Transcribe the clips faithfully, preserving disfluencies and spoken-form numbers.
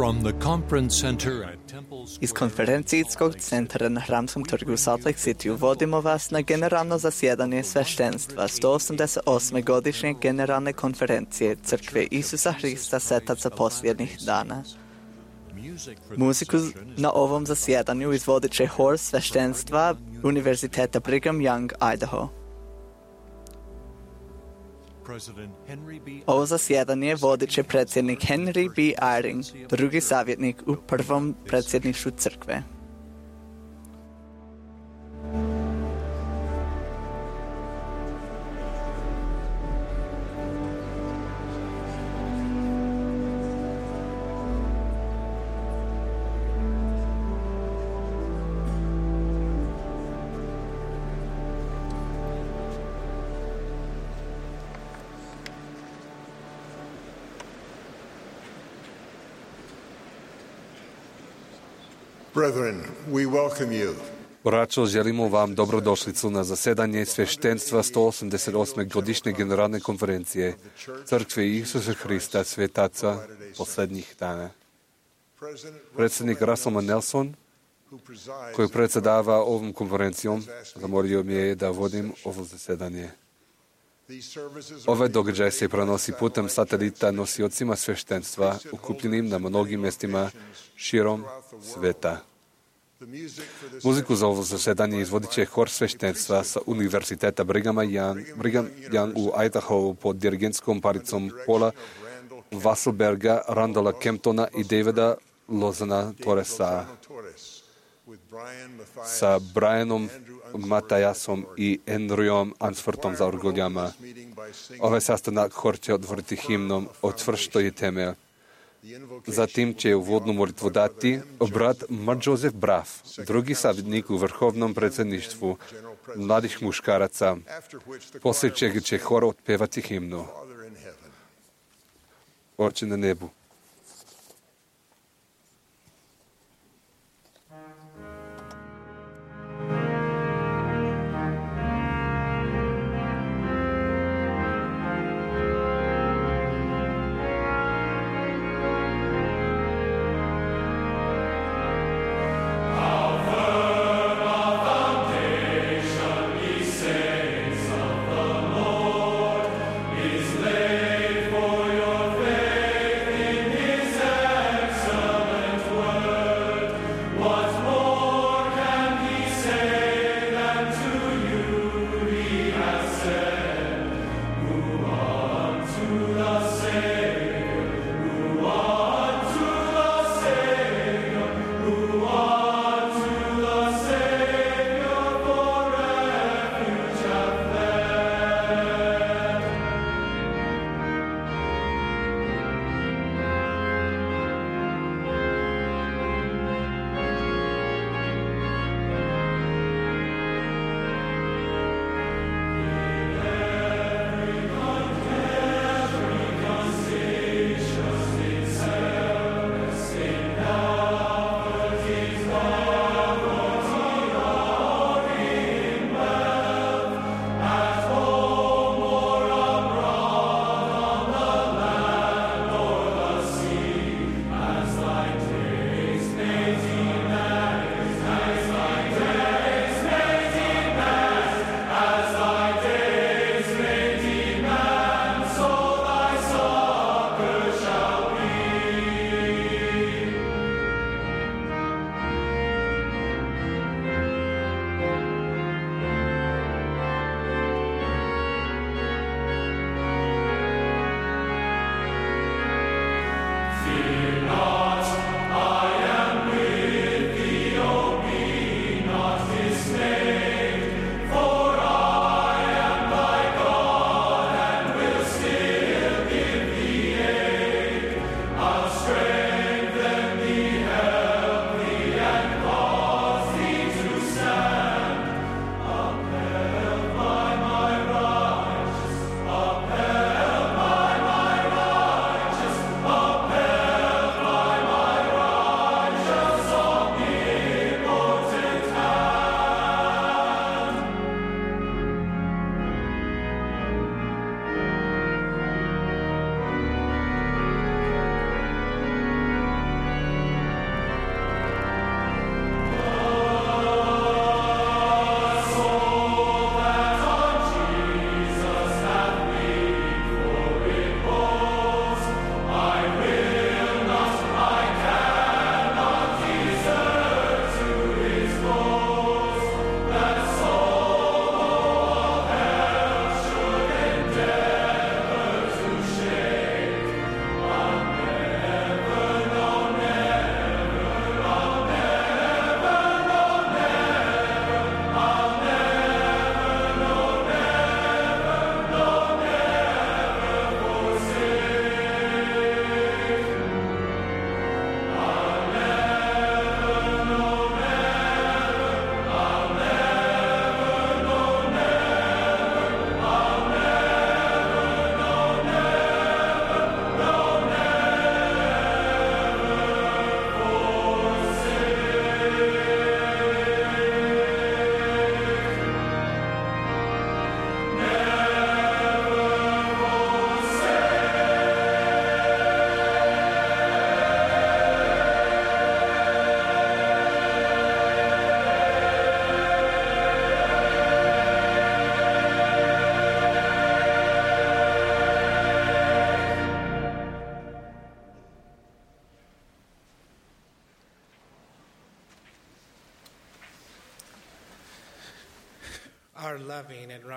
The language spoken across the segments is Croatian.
From the conference center at Temple Iz konferencijskog centra na Hramskom trgu u Salt Lake City vodimo vas na generalno zasjedanje sveštenstva sto osamdeset osme godišnje generalne konferencije Crkve Isusa Hrista Svetaca posljednjih dana. Muziku na ovom zasjedanju izvodit će hor sveštenstva Univerziteta Brigham Young, Idaho. Ovo zasjedanje vodit će predsjednik Henry B. Eyring, drugi savjetnik u prvom predsjedništvu crkve. Brethren, we welcome you. Braćo, želimo vam dobrodošlicu na zasedanje sveštenstva sto osamdeset osme godišnje generalne konferencije Crkve Isusa Hrista Svetaca posljednjih dana. Predsjednik Russell Nelson, koji predsjedava ovom konferencijom, zamolio mi je da vodim ovo zasedanje. Ovaj događaj se prenosi putem satelita nosiocima sveštenstva ukupljenim na mnogim mjestima širom sveta. Muziku za ovo zasedanje izvodit će hor sveštenstva sa Univerziteta Brighama Young, Brigham Young u Idaho pod dirigentskom paricom Paula Wasselberga, Randalla Kemptona i Davida Lozana Torresa sa Brianom Matajasom i Andrewom Ansfortom za orgoljama. Ovaj sastanak hor će otvoriti himnom Otvršto je temelj. Zatim će uvodnu molitvu dati brat Mark Joseph Braff, drugi savjetnik u vrhovnom predsjedništvu mladih muškaraca, poslije čega će hor otpevati himnu. Oče na nebu. Is laid for your faith in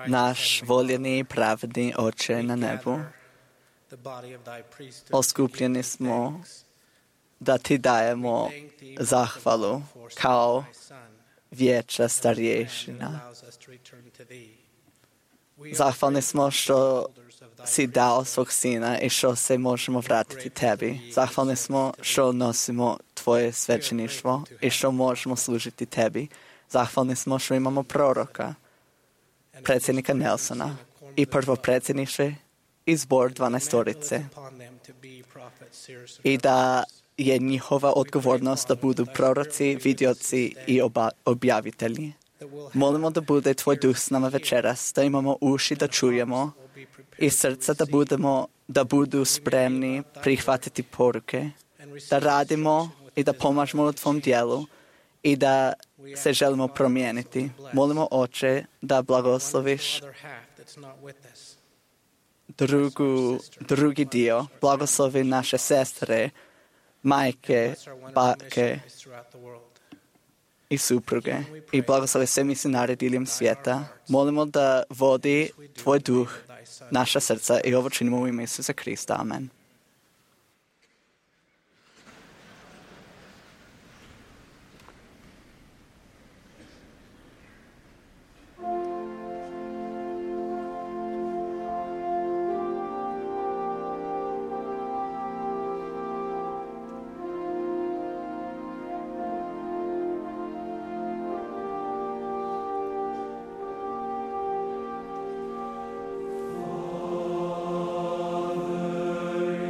Наш волjený i pravedný Oče na nebu, oskupljeni smo da ti dajemo zahvalu kao vijeća starješina. Zahvalni smo što si dao svog sina i što se možemo vratiti tebi. Zahvalni smo što nosimo tvoje svećeništvo i što možemo služiti tebi. Zahvalni smo što imamo proroka, predsjednika Nelsona i prvo predsjedništvo i zbor dvanaestorice. I da je njihova odgovornost da budu proroci, vidioci i oba, objavitelji. Molimo da bude tvoj duh s nama večeras, da imamo uši da čujemo i srca da budemo, da budu spremni prihvatiti poruke, da radimo i da pomažemo u tvom dijelu i da se želimo promijeniti. Molimo Oče da blagosloviš drugu, drugi dio, blagoslovi naše sestre, majke, bake i supruge i blagoslovi sve misionare diljem svijeta. Molimo da vodi tvoj duh naša srca i ovo činimo u ime Isusa Krista. Amen. Father,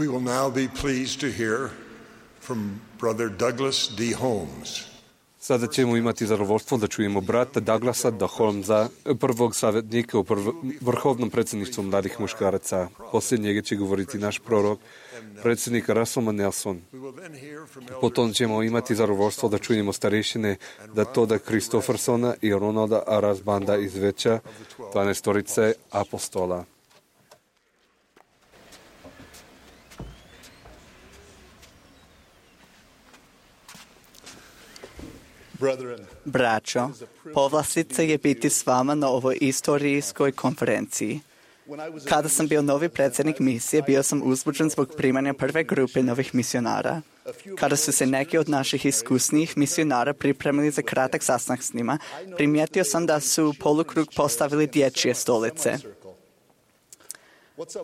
We will now be pleased to hear from Brother Douglas D. Holmes. Sada ćemo imati zadovoljstvo da čujemo brata Douglasa D. Holmesa, prvog savjetnika u prv... vrhovnom predsjedništvu mladih muškaraca. Poslije njega će govoriti naš prorok, predsjednik Russell M. Nelson. Potom ćemo imati zadovoljstvo da čujemo starešine Datoda Kristoffersona i Ronalda Arasbanda iz Veća, dvanaestorice apostola. Braćo, povlastica je biti s vama na ovoj istorijskoj konferenciji. Kada sam bio novi predsjednik misije, bio sam uzbuđen zbog primanja prve grupe novih misionara. Kada su se neki od naših iskusnijih misionara pripremili za kratak sastanak s njima, primijetio sam da su u polukrug postavili dječje stolice.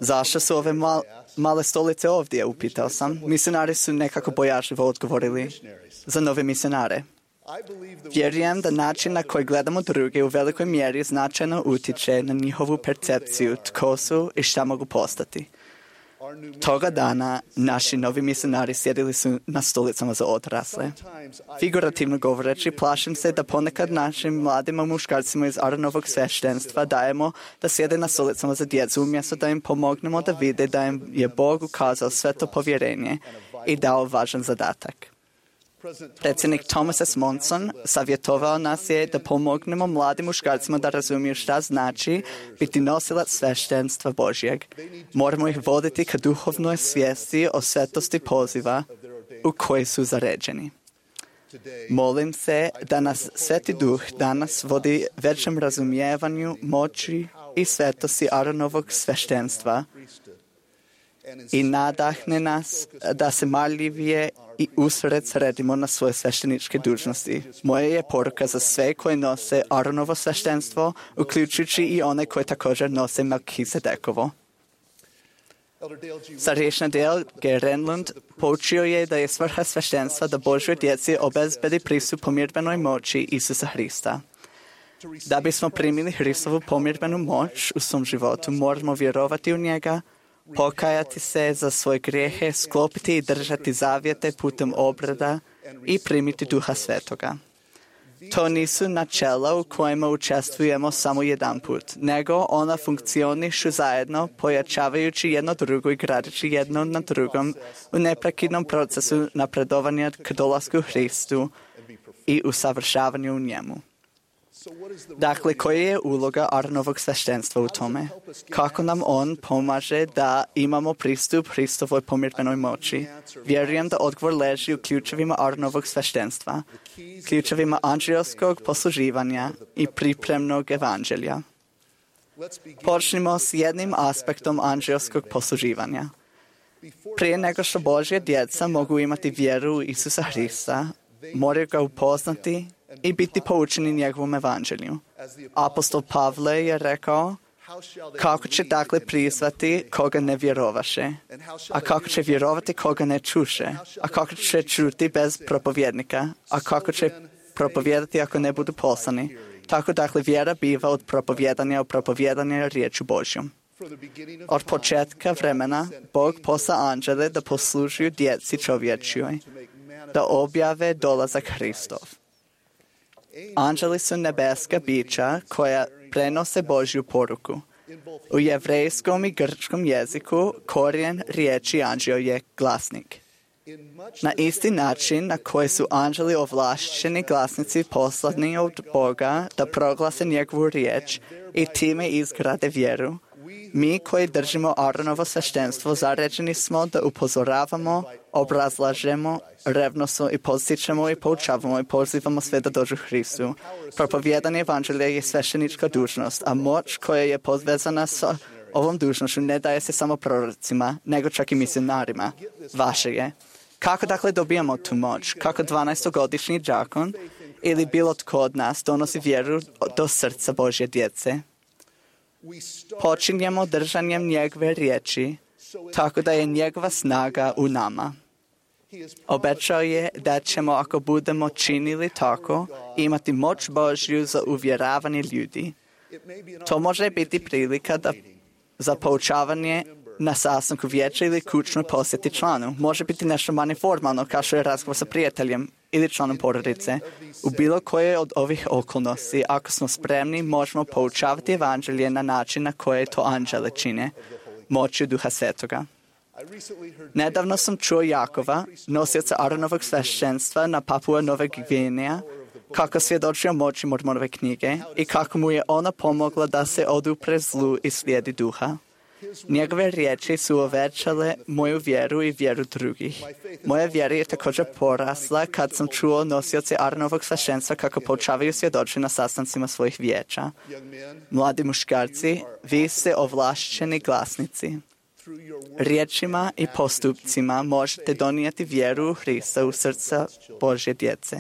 Zašto su ove mal, male stolice ovdje, upitao sam. Misionari su nekako bojažljivo odgovorili. Za nove misionare. Vjerujem da način na koji gledamo druge u velikoj mjeri značajno utiče na njihovu percepciju tko su i šta mogu postati. Toga dana naši novi misionari sjedili su na stolicama za odrasle. Figurativno govoreći, plašim se da ponekad našim mladim muškarcima iz Aaronovog sveštenstva dajemo da sjede na stolicama za djecu umjesto da im pomognemo da vide da im je Bog ukazao sve to povjerenje i dao važan zadatak. Predsjednik Thomas S. Monson savjetovao nas je da pomognemo mladim muškarcima da razumiju šta znači biti nosilac sveštenstva Božjeg. Moramo ih voditi ka duhovnoj svijesti o svetosti poziva u koji su zaređeni. Molim se da nas Sveti Duh danas vodi većem razumijevanju moći i svetosti Aaronovog sveštenstva i nadahne nas da se marljivije i usred sredimo na svoje svešteničke dužnosti. Moja je poruka za sve koji nose Aaronovo sveštenstvo, uključujući i one koji također nose Melkizedekovo. Starješna Dale G. Renlund poučio je da je svrha sveštenstva da Božoj djeci obezbedi pristup pomirbenoj moći Isusa Hrista. Da bismo primili Hristovu pomirbenu moć u svom životu, moramo vjerovati u njega, pokajati se za svoje grijehe, sklopiti i držati zavjete putem obreda i primiti Duha Svetoga. To nisu načela u kojima učestvujemo samo jedan put, nego ona funkcionišu zajedno, pojačavajući jedno drugo i gradeći jedno na drugom u neprekidnom procesu napredovanja k dolasku Hristu i usavršavanju u njemu. Dakle, koja je uloga Aaronovog sveštenstva u tome? Kako nam on pomaže da imamo pristup Hristovoj pomirbenoj moći? Vjerujem da odgovor leži u ključevima Aaronovog sveštenstva, ključevima anđelskog posluživanja i pripremnog evanđelja. Počnimo s jednim aspektom anđelskog posluživanja. Prije nego što Božja djeca mogu imati vjeru u Isusa Hrista, moraju ga upoznati i biti poučeni njegovom evanđelju. Apostol Pavle je rekao, kako će dakle prizvati koga ne vjerovaše, a kako će vjerovati koga ne čuše, a kako će čuti bez propovjednika, a kako će propovijedati ako ne budu poslani. Tako dakle vjera biva od propovjedanja u propovjedanje riječu Božjom. Od početka vremena Bog posla anđele da poslužuju djeci čovječjoj, da objave dolazak Hristov. Anđeli su nebeska bića koja prenose Božju poruku. U jevrejskom i grčkom jeziku korijen riječi anđeo je glasnik. Na isti način na koji su anđeli ovlašteni glasnici poslani od Boga da proglase njegovu riječ i time izgrade vjeru, mi koji držimo Aaronovo sveštenstvo zaređeni smo da upozoravamo, obrazlažemo, revnosno i postičemo i poučavamo i pozivamo sve da dođu Hristu. Propovijedanje evanđelja je sveštenička dužnost, a moć koja je povezana sa ovom dužnošću ne daje se samo prorocima, nego čak i misionarima. Vaše je. Kako dakle dobijamo tu moć? Kako dvanaestogodišnji đakon ili bilo tko od nas donosi vjeru do srca Božje djece? Počinjemo držanjem njegove riječi, tako da je njegova snaga u nama. Obećao je da ćemo, ako budemo činili tako, imati moć Božju za uvjeravanje ljudi. To može biti prilika da, za poučavanje na sastanku vijeća ili kućnoj posjeti članu. Može biti nešto manje formalno, kao što je razgovor sa prijateljem ili članom porodice. U bilo koje od ovih okolnosti, ako smo spremni, možemo poučavati evanđelje na način na koje to anđele čine, moću Duha Svetoga. Nedavno sam čuo Jakova, nosioca Aaronovog sveštenstva na Papua Nove Gvineja, kako svjedoči o moći Mormonove knjige i kako mu je ona pomogla da se odupre zlu i slijedi Duha. Njegove riječi su uvećale moju vjeru i vjeru drugih. Moja vjera je također porasla kad sam čuo nosioce Aaronovog sveštenstva kako poučavaju svjedoči na sastancima svojih vijeća. Mladi muškarci, vi ste ovlašćeni glasnici. Riječima i postupcima možete donijeti vjeru u Hrista u srca Božje djece.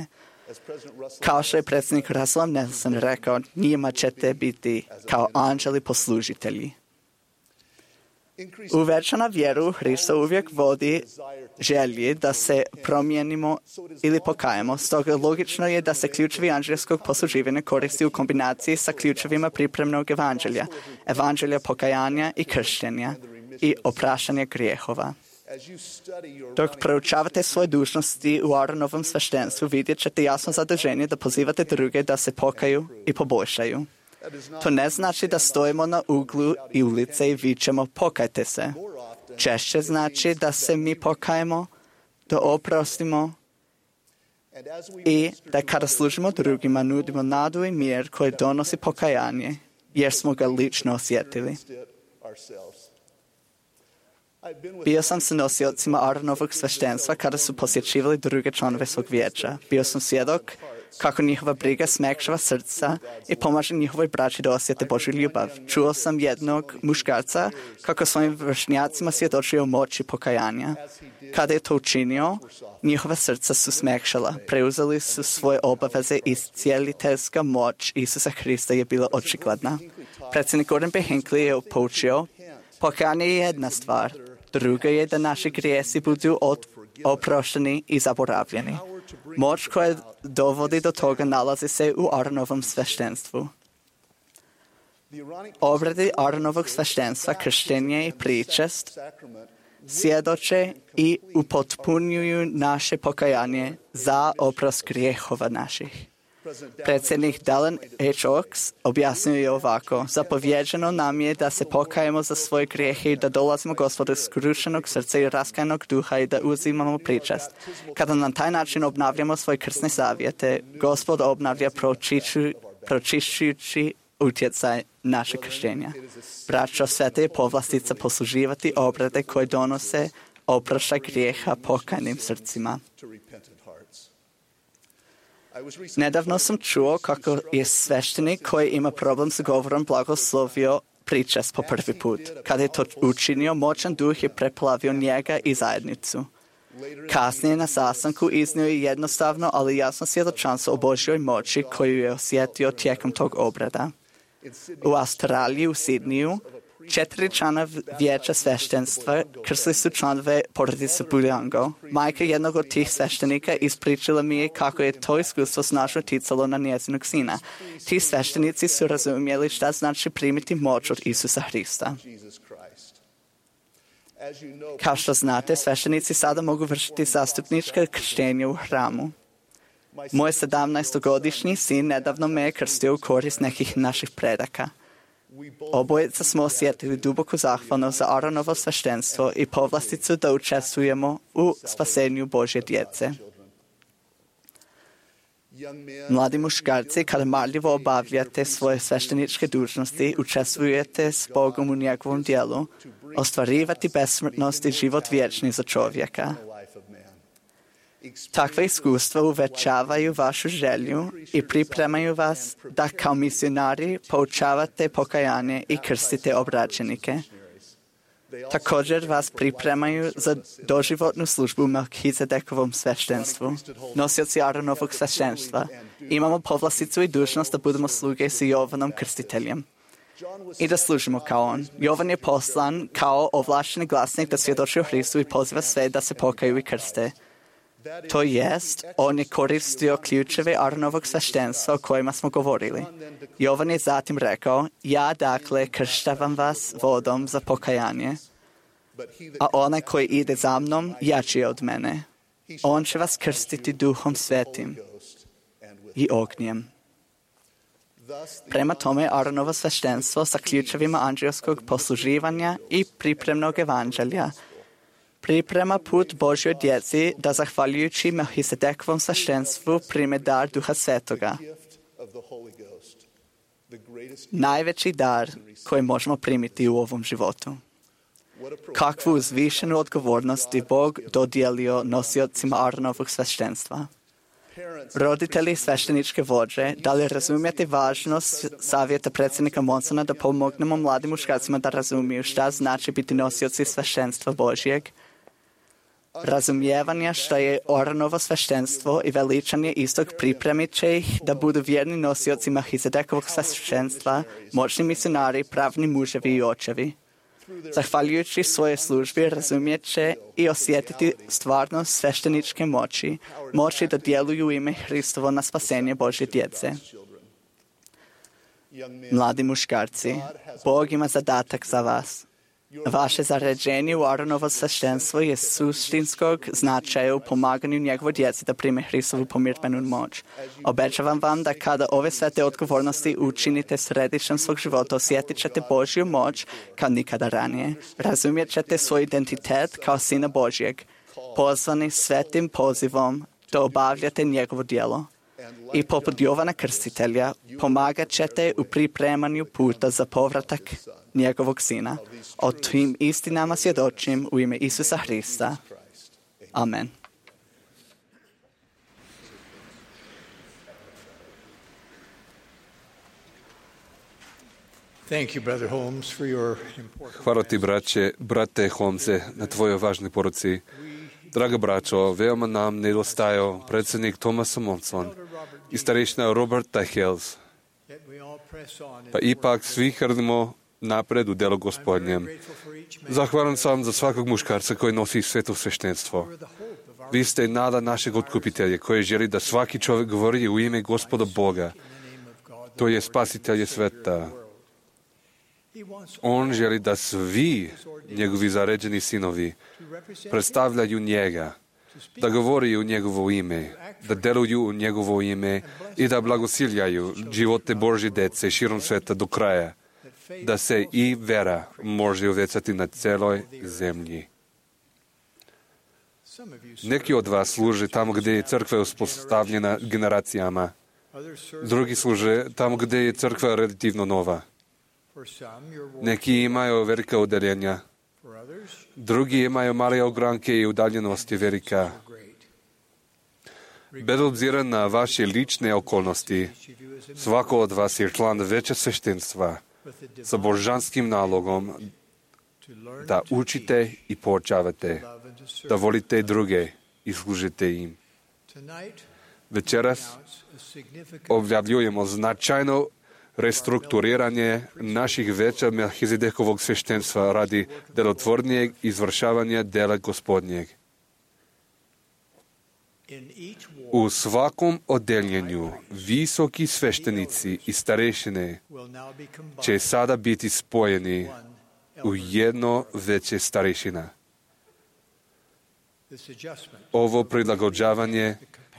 Kao što je predsjednik Russell Nelson rekao, njima ćete biti kao anđeli poslužitelji. Uvećana vjeru u Hrista uvijek vodi želji da se promijenimo ili pokajemo. Stoga logično je da se ključevi anđelskog posluživanja koristi u kombinaciji sa ključevima pripremnog evanđelja, evanđelja pokajanja i krštenja i opraštanja grijehova. Dok proučavate svoje dužnosti u Aaronovom sveštenstvu, vidjet ćete jasno zadržanje da pozivate druge da se pokaju i poboljšaju. To ne znači da stojimo na uglu i ulice i vičemo pokajte se. Češće znači da se mi pokajemo, da oprostimo i da kada služimo drugima nudimo nadu i mir koji donosi pokajanje, jer smo ga lično osjetili. Bio sam sa nosiocima Aaronovog sveštenstva kada su posjećivali druge članove svog vijeća. Bio sam svjedok kako njihova briga smekšava srca i pomaže njihovoj braći da osjete Božju ljubav. Čuo sam jednog muškarca kako svojim vršnjacima svjedočio o moći pokajanja. Kada je to učinio, njihova srca su smekšala. Preuzeli su svoje obaveze i cijeliteljska moć Isusa Hrista je bila očigledna. Predsjednik Gordon B. Hinckley je poučio, pokajanje je jedna stvar. Druga je da naši grijesi budu od, oprošteni i zaboravljeni. Moć koja dovodi do toga nalazi se u Aaronovom sveštenstvu. Obredi Aaronovog sveštenstva, krštenje i pričest svjedoče i upotpunjuju naše pokajanje za oprost grijehova naših. Predsjednik Dallin H. Oaks objasnio je ovako: zapovjeđeno nam je da se pokajemo za svoje grijehe i da dolazimo Gospodu skrušenog srca i raskajanog duha i da uzimamo pričest. Kada na taj način obnavljamo svoje krsne zavjete, Gospod obnavlja pročišćujući utjecaj naše krštenja. Braćo, sveta je povlastica posluživati obrede koje donose oproštaj grijeha pokajnim srcima. Nedavno sam čuo kako je sveštenik koji ima problem s govorom blagoslovio pričest po prvi put. Kada je to učinio, moćan duh je preplavio njega i zajednicu. Kasnije na sastanku iznio je jednostavno, ali jasno svjedočanstvo o Božjoj moći koju je osjetio tijekom tog obreda. U Australiji, u Sidniju, četiri člana vijeća sveštenstva krstili su članove porodice Buljango. Majka jednog od tih sveštenika ispričala mi je kako je to iskustvo snažno ticalo na njezinog sina. Ti sveštenici su razumjeli šta znači primiti moć od Isusa Hrista. Kao što znate, sveštenici sada mogu vršiti zastupnička krštenja u hramu. Moj sedamnaestogodišnji sin nedavno me je krstio u korist nekih naših predaka. Obojica smo osjetili duboku zahvalnost za Aaronovo sveštenstvo i povlasticu da učestvujemo u spasenju Božje djece. Mladi muškarci, kada marljivo obavljate svoje svešteničke dužnosti, učestvujete s Bogom u njegovom djelu, ostvarivati besmrtnost i život vječni za čovjeka. Takva iskustva uvećavaju vašu želju i pripremaju vas da kao misionari poučavate pokajanje i krstite obraćenike. Također vas pripremaju za doživotnu službu u Melkizedekovom sveštenstvu. Nosioci Aaronovog sveštenstva imamo povlasticu i dužnost da budemo sluge s Jovanom krstiteljem i da služimo kao on. Jovan je poslan kao ovlašteni glasnik da svjedoči o Hristu i poziva sve da se pokaju i krste. To jest, on je koristio ključeve Aaronovog sveštenstva o kojima smo govorili. Jovan je zatim rekao, ja dakle krštavam vas vodom za pokajanje. a onaj koji ide za mnom jači je od mene. On će vas krstiti Duhom Svetim i ognjem. Prema tome, Aaronovo sveštenstvo sa ključevima anđelskog posluživanja i pripremnog evanđelja priprema put Božjoj djeci da zahvaljujući Melhisedekovom sveštenstvu prime dar Duha Svetoga. Najveći dar koji možemo primiti u ovom životu. Kakvu uzvišenu odgovornost je Bog dodijelio nosiocima Aaronovog sveštenstva. Roditelji svešteničke vođe, da li razumijete važnost savjeta predsjednika Monsona da pomognemo mladim muškarcima da razumiju šta znači biti nosioci sveštenstva Božjeg? Razumijevanje što je Aaronovo sveštenstvo i veličanje istog pripremit će ih da budu vjerni nosioci Melhisedekovog sveštenstva, moćni misionari, pravni muževi i očevi. Zahvaljujući svojoj službi razumijet će i osjetiti stvarnost svešteničke moći, moći da djeluju u ime Hristovo na spasenje Božje djece. Mladi muškarci, Bog ima zadatak za vas. Vaše zaređenje u Aaronovo sveštenstvo je suštinskog značaja u pomaganju njegovoj djeci da prime Hristovu pomirbenu moć. Obećavam vam da kada ove svete odgovornosti učinite središtem svog života, osjetit ćete Božju moć kao nikada ranije. Razumijet ćete svoj identitet kao Sina Božjeg, pozvani svetim pozivom da obavljate njegovo djelo. I poput Jovana Krstitelja pomagat ćete u pripremanju puta za povratak njegovog Sina. O tim istinama svjedočim u ime Isusa Hrista. Amen. Thank you, Brother Holmes, for your important... Hvala ti, braće, brate Holmese, na tvojoj važnoj poruci. Draga braćo, veoma nam nedostajao predsjednik Thomas Monson i starešina Roberta Hales. Pa ipak svi hrnimo napred u delo Gospodnjem. Zahvalan sam za svakog muškarca koji nosi sveto sveštenstvo. Vi ste nada našeg otkupitelja koji želi da svaki čovjek govori u ime Gospoda Boga. To je spasitelje sveta. On želi da svi njegovi zaređeni sinovi predstavljaju njega, da govori u njegovo ime, da deluju u njegovo ime i da blagosiljaju živote Božje djece širom sveta do kraja, da se i vera može uvecati na celoj zemlji. Neki od vas služe tamo gdje je crkva uspostavljena generacijama, drugi služe tamo gdje je crkva relativno nova. Neki imaju velika udaljenja, drugi imaju male ogranke i udaljenosti velika. Bez obzira na vaše lične okolnosti, svako od vas je član veća sveštenstva sa božanskim nalogom da učite i poučavate, da volite druge i služite im. Večeras objavljujemo značajno restrukturiranje naših veća Melhisedekovog sveštenstva radi delotvornijeg izvršavanja dela Gospodnjeg. U svakom odeljenju visoki sveštenici i starešine će sada biti spojeni u jedno veće starešina. Ovo prilagođavanje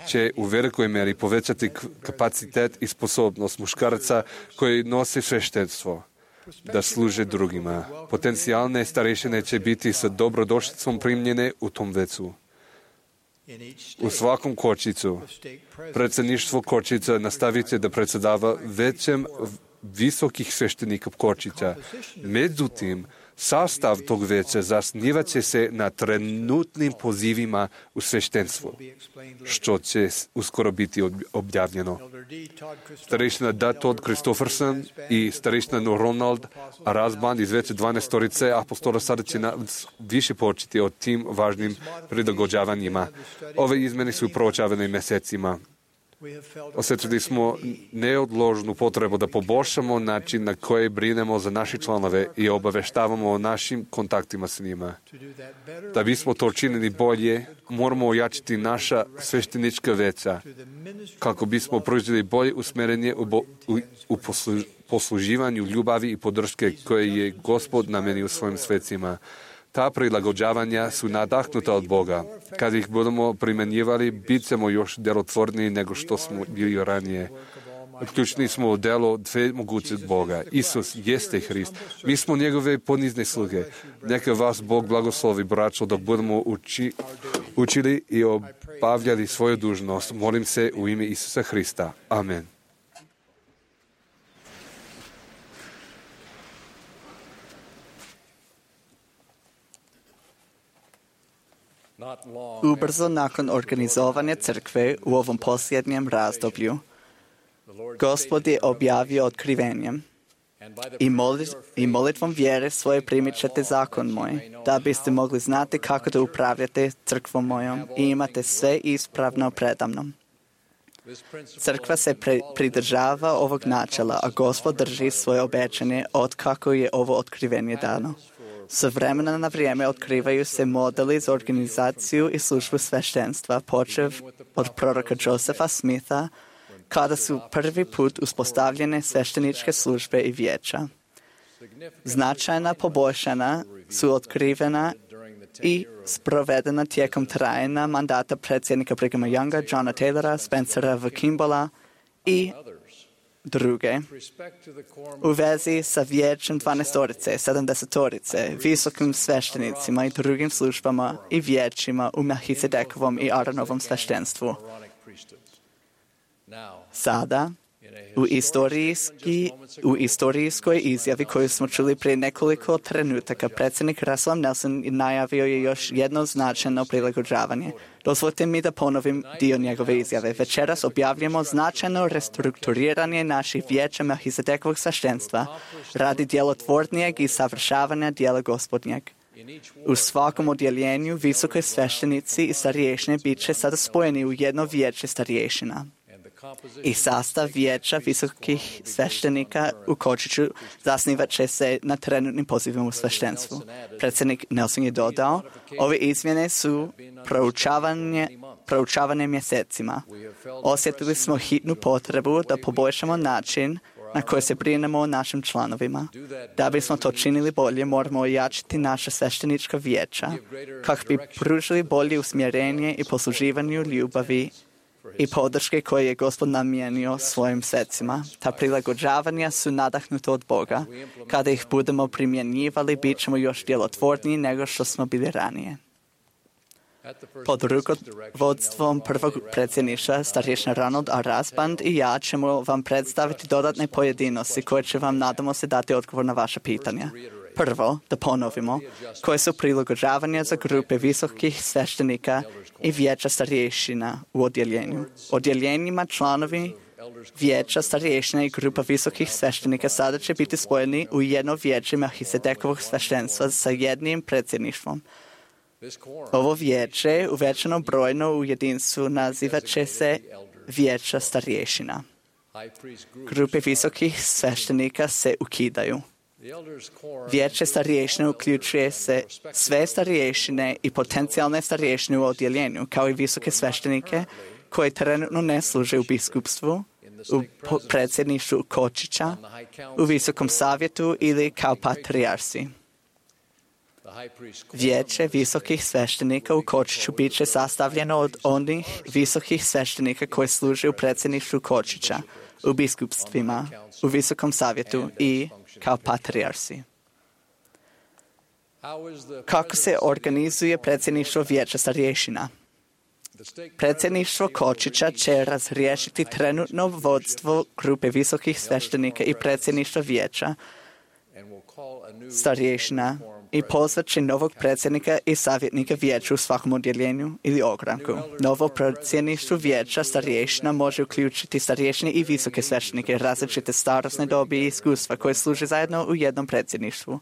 će u velikoj meri povećati kapacitet i sposobnost muškaraca koji nose sveštenstvo da služe drugima. Potencijalne starešine će biti sa dobrodošlicom primljene u tom vecu. U svakom kočicu predsjedništvo kočica nastavit će da predsjedava većem visokih sveštenika kočića. Međutim, sastav tog veća zasnivat će se na trenutnim pozivima u sveštenstvu, što će uskoro biti objavljeno. Starešina D. Todd Christofferson i starešina Ronald Rasband iz veće dvanaestorice apostola sada će nas više početi o tim važnim prilagođavanjima. Ove izmene su proučavane mjesecima. Osjetili smo neodložnu potrebu da poboljšamo način na koji brinemo za naše članove i obaveštavamo o našim kontaktima s njima. Da bismo to učinili bolje, moramo ojačiti naša sveštenička veća, kako bismo proizveli bolje usmjerenje u, bo, u, u poslu, posluživanju ljubavi i podrške koje je Gospod namenio svojim svecima. Ta prilagođavanja su nadahnuta od Boga. Kad ih budemo primjenjivali, bit ćemo još djelotvorniji nego što smo bili ranije. Uključeni smo u delo dve mogućeg Boga. Isus jeste Hrist. Mi smo njegove ponizne sluge. Neka vas Bog blagoslovi, braćo, dok budemo uči, učili i obavljali svoju dužnost. Molim se u ime Isusa Hrista. Amen. Ubrzo nakon organizovanja crkve u ovom posljednjem razdoblju, Gospod je objavio otkrivenjem. I, molit, I molitvom vjere svoje primit ćete zakon moj, da biste mogli znati kako da upravljate crkvom mojom i imate sve ispravno predamnom. Crkva se pre, pridržava ovog načela, a Gospod drži svoje obećanje od kako je ovo otkrivenje dano. S vremena na vrijeme otkrivaju se modeli za organizaciju i službu sveštenstva, počev od proroka Josefa Smitha, kada su prvi put uspostavljene svešteničke službe i vijeća. Značajna poboljšana su otkrivena i sprovedena tijekom trajanja mandata predsjednika Brighama Younga, Johna Taylora, Spencera V. Kimbola i druge. U vezi sa vijećem dvanaestorice, sedamdesetorice, visokim sveštenicima i drugim službama i vijećima u Melchizedekovom i Aaronovom sveštenstvu. Sada, u, istorijski, u istorijskoj izjavi koju smo čuli prije nekoliko trenutaka, predsjednik Russell Nelson najavio je još jedno značajno prilagođavanje. Dozvolite mi da ponovim dio njegove izjave. Večeras objavljamo značajno restrukturiranje naših vijeća Melchizedekovog sveštenstva radi djelotvornijeg i savršavanja dijela Gospodnjeg. U svakom odjeljenju visoki sveštenici i starješine bit će sada spojeni u jedno vijeće starješina. I sastav vijeća visokih sveštenika u Kočiću zasnivat će se na trenutnim pozivima u sveštenstvu. Predsjednik Nelson je dodao, ove izmjene su proučavanje, proučavane mjesecima. Osjetili smo hitnu potrebu da poboljšamo način na koji se brinemo o našim članovima. Da bismo to činili bolje, moramo ojačiti naša sveštenička vijeća, kako bi pružili bolje usmjerenje i posluživanju ljubavi i podrške koje je Gospod namijenio svojim secima. Ta prilagođavanja su nadahnuta od Boga. Kada ih budemo primjenjivali, bit ćemo još djelotvorniji nego što smo bili ranije. Pod rukovodstvom prvog predsjedništva, starješina Ronald A. Rasband i ja ćemo vam predstaviti dodatne pojedinosti koje će vam, nadamo se, dati odgovor na vaša pitanja. Prvo, da ponovimo, koje su prilagođavanja za grupe visokih sveštenika i vijeća starješina u odjeljenju. Odjeljenjima članovi vijeća starješina i grupa visokih sveštenika sada će biti spojeni u jedno vijeće Melchizedekovog sveštenstva sa jednim predsjedništvom. Ovo vijeće, uvećano brojno u jedinstvu, nazivat će se vijeća starješina. Grupe visokih sveštenika se ukidaju. Vijeće starješine uključuje se sve starješine i potencijalne starješine u odjeljenju, kao i visoke sveštenike koji trenutno ne služe u biskupstvu, u predsjedništvu Kočića, u visokom savjetu ili kao patrijarsi. Vijeće visokih sveštenika u Kočiću bit će sastavljeno od onih visokih sveštenika koji služe u predsjedništvu Kočića, u biskupstvima, u visokom savjetu i kao patrijarsi. Kako se organizuje predsjedništvo vijeća starješina? Predsjedništvo Kočića će razriješiti trenutno vodstvo grupe visokih sveštenika i predsjedništva vijeća starješina i pozvat će novog predsjednika i savjetnika vijeća u svakom odjeljenju ili ogranku. Novo predsjedništvo vijeća starješina može uključiti starješine i visoke sveštenike, različite starosne dobi i iskustva koje služe zajedno u jednom predsjedništvu.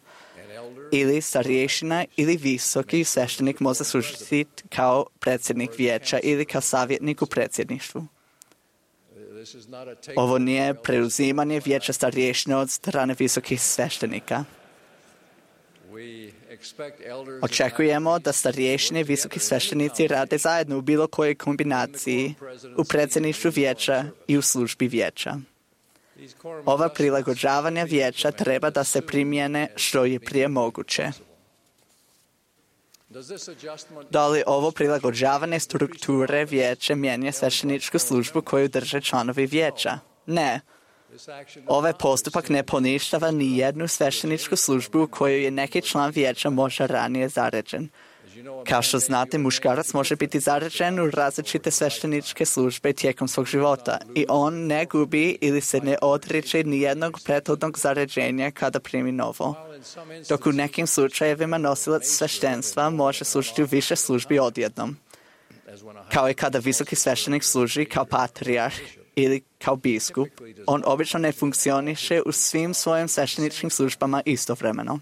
Ili starješina ili visoki sveštenik može služiti kao predsjednik vijeća ili kao savjetnik u predsjedništvu. Ovo nije preuzimanje vijeća starješina od strane visokih sveštenika. Očekujemo da starješine i visoki sveštenici rade zajedno u bilo kojoj kombinaciji u predsjedništvu vijeća i u službi vijeća. Ova prilagođavanja vijeća treba da se primjene što je prije moguće. Da li ovo prilagođavanje strukture vijeća mijenja svešteničku službu koju drže članovi vijeća? Ne. Ovaj postupak ne poništava ni jednu svešteničku službu u kojoj je neki član vijeća možda ranije zaređen. Kao što znate, muškarac može biti zaređen u različite svešteničke službe tijekom svog života i on ne gubi ili se ne odriče ni jednog prethodnog zaređenja kada primi novo. Dok u nekim slučajevima nosilac sveštenstva može služiti u više službi odjednom. Kao i kada visoki sveštenik služi kao patrijarh ili kao biskup, on obično ne funkcioniše u svim svojim svešteničkim službama istovremeno.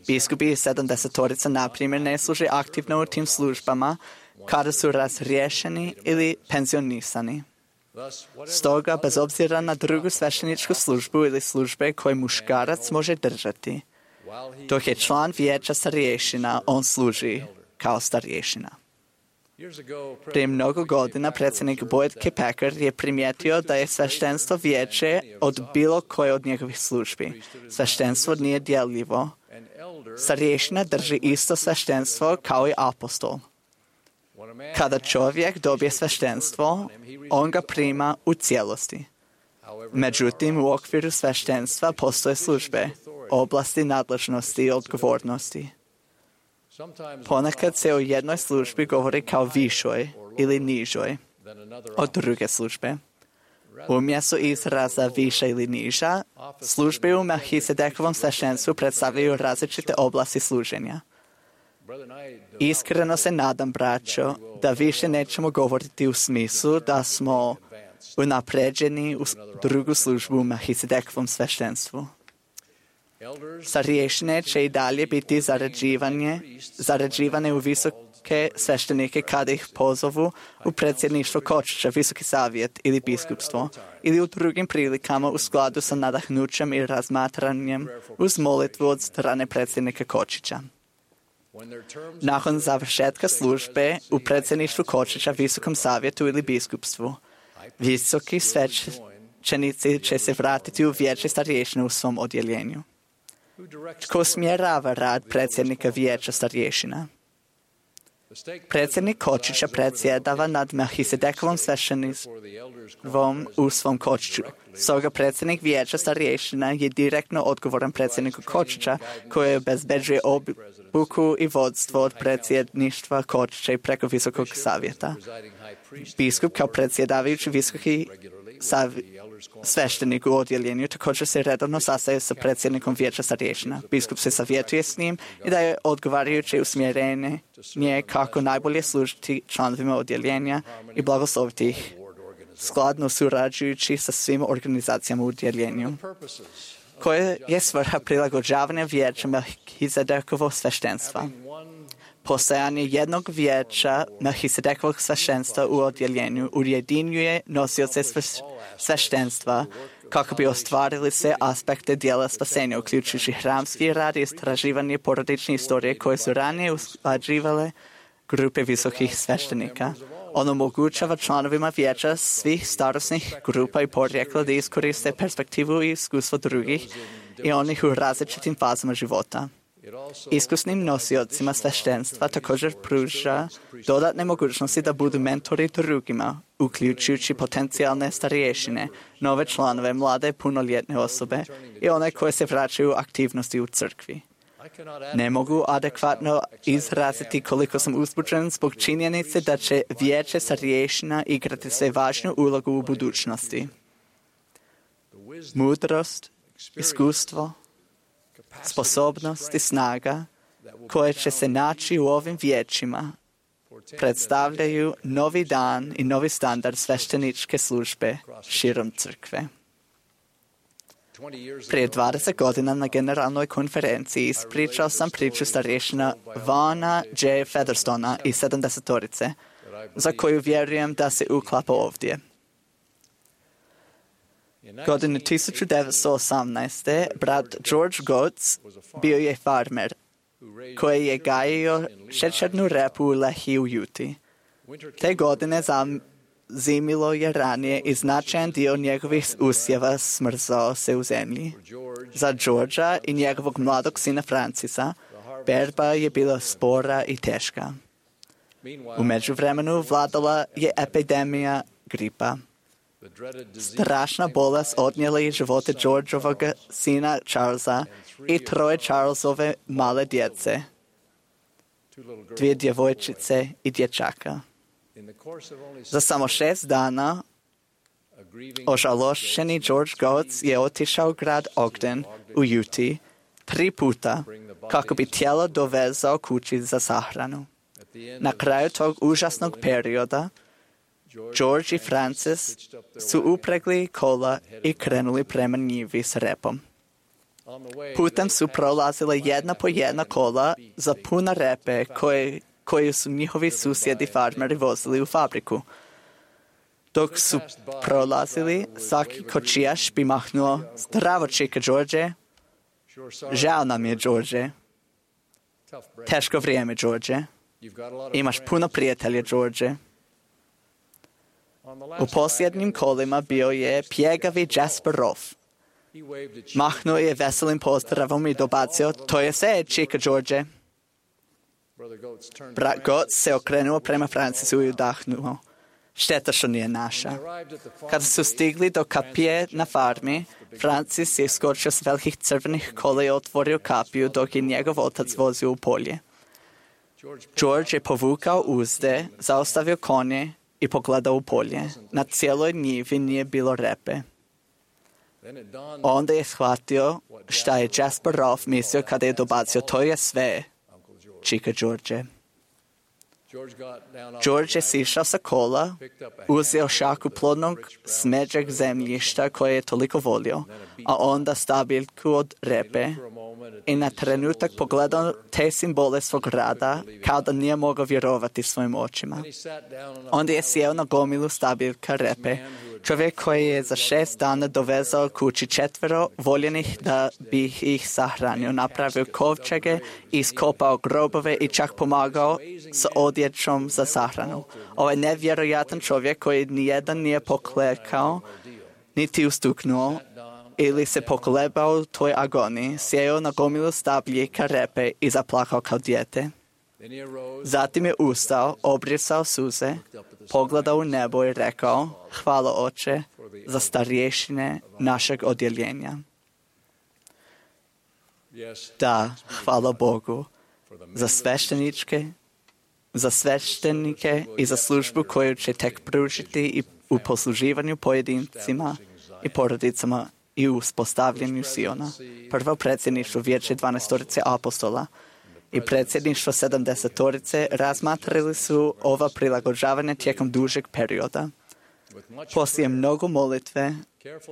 Biskupi iz sedamdesetorica, na primjer, ne služe aktivno u tim službama kada su razriješeni ili penzionisani. Stoga, bez obzira na drugu svešteničku službu ili službe koje muškarac može držati, dok je član vijeća starješina, on služi kao starješina. Prije mnogo godina predsjednik Boyd K. Packer je primijetio da je sveštenstvo vijeće od bilo koje od njegovih službi. Sveštenstvo nije dijeljivo. Starješina drži isto sveštenstvo kao i apostol. Kada čovjek dobije sveštenstvo, on ga prima u cijelosti. Međutim, u okviru sveštenstva postoje službe, oblasti nadležnosti i odgovornosti. Ponekad se o jednoj službi govori kao višoj ili nižoj od druge službe. Umjesto izraza viša ili niža, službe u Melhisedekovom sveštenstvu predstavljaju različite oblasti služenja. Iskreno se nadam, braćo, da više nećemo govoriti u smislu da smo unapređeni u drugu službu u Melhisedekovom sveštenstvu. Starješine će i dalje biti zarađivane u visoke sveštenike kada ih pozovu u predsjedništvo kočića, visoki savjet ili biskupstvo, ili u drugim prilikama u skladu sa nadahnućem i razmatranjem uz molitvu od strane predsjednika kočića. Nakon završetka službe u predsjedništvu kočića, visokom savjetu ili biskupstvu, visoki svećenici će se vratiti u vijeće starješina u svom odjeljenju. Tko smjerava rad predsjednika vijeća starješina? Predsjednik kočića predsjedava nad Melhisedekovom sveštenstvom u svom kočiću. Stoga predsjednik vijeća starješina je direktno odgovoran predsjedniku kočića koji obezbeđuje obuku i vodstvo od predsjedništva kočića i preko visokog savjeta. Biskup kao predsjedavajući visoki savjet sveštenik u odjeljenju također se redovno sastaje sa predsjednikom vijeća starješina. Biskup se savjetuje s njim i daje odgovarajuće usmjerenje kako najbolje služiti članovima odjeljenja i blagosloviti ih, skladno surađujući sa svim organizacijama u odjeljenju. Koja je svrha prilagođavanja vijeća Melhisedekovog sveštenstva? Postojanje jednog vijeća Melhisedekovog sveštenstva u odjeljenju ujedinjuje nosioce sveštenstva kako bi ostvarili sve aspekte dijela spasenja, uključujući hramski rad i istraživanje porodične istorije koje su ranije usklađivale grupe visokih sveštenika. On omogućava članovima vijeća svih starosnih grupa i porijekla da iskoriste perspektivu i iskustvo drugih i onih u različitim fazama života. Iskusnim nosiocima sveštenstva također pruža dodatne mogućnosti da budu mentori drugima, uključujući potencijalne starješine, nove članove, mlade punoljetne osobe i one koje se vraćaju u aktivnosti u crkvi. Ne mogu adekvatno izraziti koliko sam uzbuđen zbog činjenice da će vijeće starješina igrati sve važnu ulogu u budućnosti. Mudrost, iskustvo, sposobnost i snaga koje će se naći u ovim vijećima predstavljaju novi dan i novi standard svešteničke službe širom crkve. Prije dvadeset godina na generalnoj konferenciji ispričao sam priču starješina Vaughna J. Featherstona iz sedamdesetorice, za koju vjerujem da se uklapa ovdje. Godine tisuću devetsto osamnaeste. brat George Goetz bio je farmer koji je gajio šećernu repu u Lehi u Juti. Te godine zimilo je ranije i značajan dio njegovih usjeva smrzao se u zemlji. Za Georgea i njegovog mladog sina Francisa berba je bila spora i teška. U međuvremenu vladala je epidemija gripa. Strašna bolest odnijela je živote Georgeovog sina Charlesa i troje Charlesove male djece, dvije djevojčice i dječaka. Za samo šest dana ožalošćeni George Goetz je otišao u grad Ogden u Utah tri puta kako bi tijelo dovezao kući za sahranu. Na kraju tog užasnog perioda George i Francis su upregli kola i krenuli prema njivi s repom. Putem su prolazile jedna po jedna kola za puna repe koje, koje su njihovi susjedi farmeri vozili u fabriku. Dok su prolazili, svaki kočijaš bi mahnuo: "Zdravo, čika George." "Žao nam je, George." "Teško vrijeme, George." "Imaš puno prijatelja, George." U posljednjim kolima bio je pjegavi Jasper Rolfe. Mahnuo je veselim pozdravom i dobacio: "To je sve, čika George." Brat Goetz se okrenuo prema Francisu i udahnuo: "Šteta što nije naša." Kada su stigli do kapije na farmi, Francis je iskočio s velikih crvenih kola i otvorio kapiju dok je njegov otac vozio u polje. George je povukao uzde, zaustavio konje i pogledao u polje. Na cijeloj njivi nije bilo repe. Onda je shvatio šta je Jasper Rolfe mislio kada je dobacio: "To je sve, čika George." George je sišao sa kola, uzeo šaku plodnog smeđeg zemljišta koje je toliko volio, a onda stabiljku od repe i na trenutak pogledao te simbole svog rada kao da nije mogao vjerovati svojim očima. Onda je sjeo na gomilu stabiljka repe, čovjek koji je za šest dana dovezao kući četvero voljenih da bi ih sahranio, napravio kovčege, iskopao grobove i čak pomagao s odjećom za sahranu. Ovaj nevjerojatan čovjek koji nijedan nije poklekao, niti ustuknuo, ili se pokolebao u toj agoniji, sjeo na gomilu stabljika repe i zaplakao kao dijete. Zatim je ustao, obrisao suze, pogledao u nebo i rekao: "Hvala, Oče, za starješine našeg odjeljenja." Da, hvala Bogu za svešteničke, za sveštenike i za službu koju će tek pružiti i u posluživanju pojedincima i porodicama i u uspostavljanju Siona. Prvo predsjedništvo Vijeća dvanaestorice apostola i predsjedništvo sedamdesetorice razmatrali su ova prilagođavanja tijekom dužeg perioda. Poslije mnogo molitve,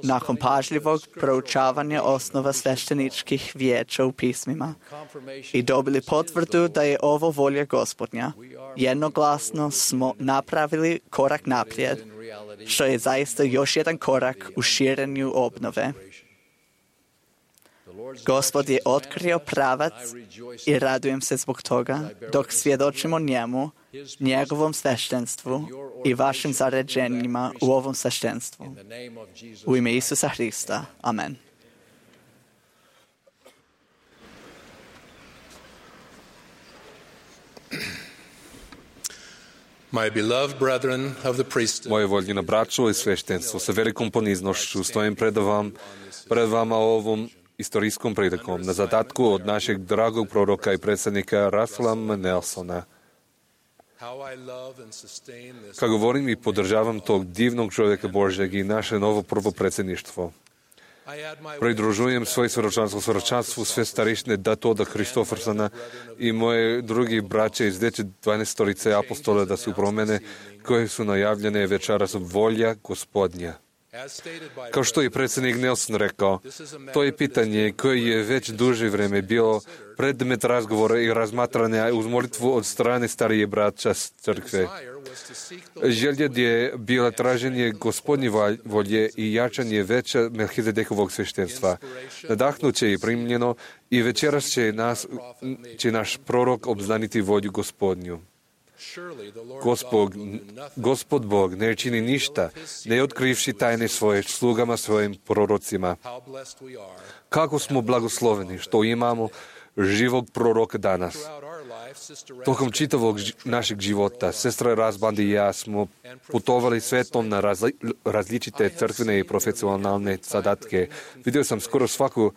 nakon pažljivog proučavanja osnova svešteničkih vijeća u pismima i dobili potvrdu da je ovo volja Gospodnja, jednoglasno smo napravili korak naprijed, što je zaista još jedan korak u širenju obnove. Gospod je otkrio pravac i radujem se zbog toga, dok svjedočimo njemu, njegovom sveštenstvu i vašim zaređenjima u ovom sveštenstvu. U ime Isusa Hrista. Amen. My beloved brethren of the priesthood, Moje voljeno braćo i sveštenstvo, sa velikom poniznošću stojim pred, vam, pred vama ovom istorijskom prilikom na zadatku od našeg dragog proroka i predsjednika Russella M. Nelsona. how I love and sustain this. Kako govorim i podržavam tog divnog čovjeka Božjeg i naše novo prvo predsjedništvo. I add my Pridružujem svoje svjedočanstvo svjedočanstvu sve starišne Datoda Kristofersona i moje drugi braće iz Vijeća dvanaestorice apostola da su promjene koje su najavljene večeras volja Gospodnja. as stated by Kao što je predsjednik Nelson rekao, to je pitanje koje je već duže vrijeme bilo predmet razgovora i razmatranja uz molitvu od strane starije braća crkve. desire was to seek the Želja je bila traženje Gospodnje volje i jačanje veća Melhizedekovog sveštenstva. Nadahnuće i primljeno i večeras će, nas, će naš prorok obznaniti volju Gospodnju. surely the Lord Gospod, God will do nothing Gospod Bog ne čini ništa, ne otkrivši tajne svoje slugama svojim prorocima. how blessed we are Kako smo blagosloveni što imamo živog proroka danas. Tokom čitavog ži- našeg života, sestra Razbandi i ja smo putovali svetom na razli- različite crkvene i profesionalne zadatke. Vidio sam skoro svaku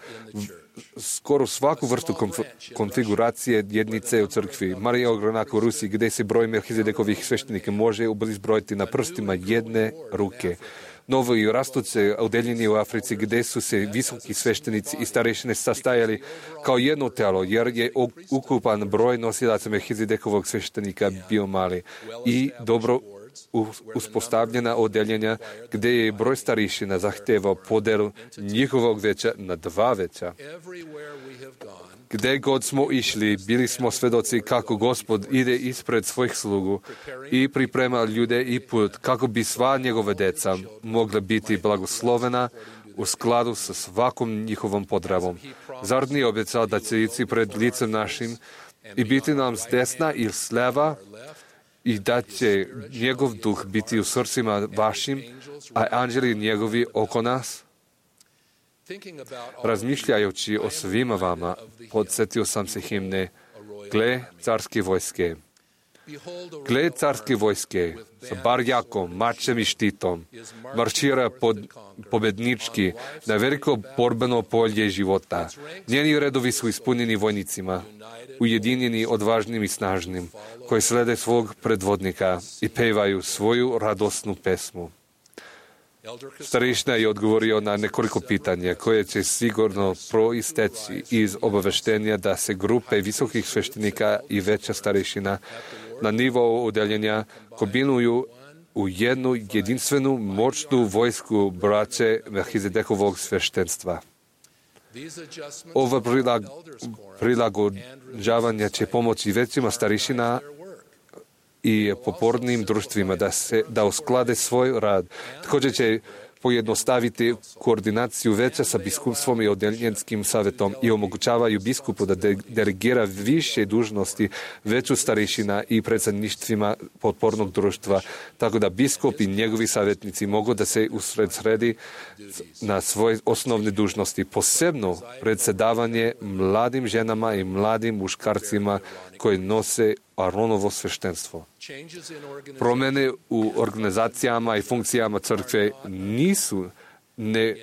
skoro svaku vrstu konf- konfiguracije jednice u crkvi. Marija Ogranak u Rusiji, gdje se broj Melhizedekovih sveštenika može izbrojiti na prstima jedne ruke. Novo i rastuće odeljenje u Africi, gdje su se visoki sveštenici i starešine sastajali kao jedno telo, jer je ukupan broj nosilaca Melhizedekovog sveštenika bio mali. I dobro uspostavljena odeljenja, gdje je broj starešina zahtevao podelu njihovog veća na dva veća. Gdje god smo išli, bili smo svedoci kako Gospod ide ispred svojih slugu i priprema ljude i put kako bi sva njegove deca mogla biti blagoslovena u skladu sa svakom njihovom potrebom. Zar nije obećao da će ići pred licem našim i biti nam s desna i s leva i da će njegov duh biti u srcima vašim, a anđeli njegovi oko nas? Razmišljajući o svima vama, podsjetio sam se himne Gle carske vojske. Gle carske vojske, sa barjakom, mačem i štitom, maršira pod, pobednički na veliko borbeno polje života. Njeni redovi su ispunjeni vojnicima, ujedinjeni odvažnim i snažnim, koji slede svog predvodnika i pevaju svoju radosnu pesmu. Starešina je odgovorio na nekoliko pitanja koje će sigurno proisteći iz obaveštenja da se grupe visokih sveštenika i veća starešina na nivou odeljenja kombinuju u jednu jedinstvenu moćnu vojsku braće Melhizedekovog sveštenstva. Ova prilag, prilagođavanja će pomoći većima starešina i popornim društvima da se da usklade svoj rad. Također će pojednostaviti koordinaciju veća sa biskupstvom i odeljenskim savjetom i omogućavaju biskupu da de- delegira više dužnosti veću starešina i predsjedništvima potpornog društva, tako da biskup i njegovi savjetnici mogu da se usredsredi na svoje osnovne dužnosti, posebno predsjedavanje mladim ženama i mladim muškarcima koji nose Aronovo sveštenstvo. Promjene u organizacijama i funkcijama crkve nisu ne,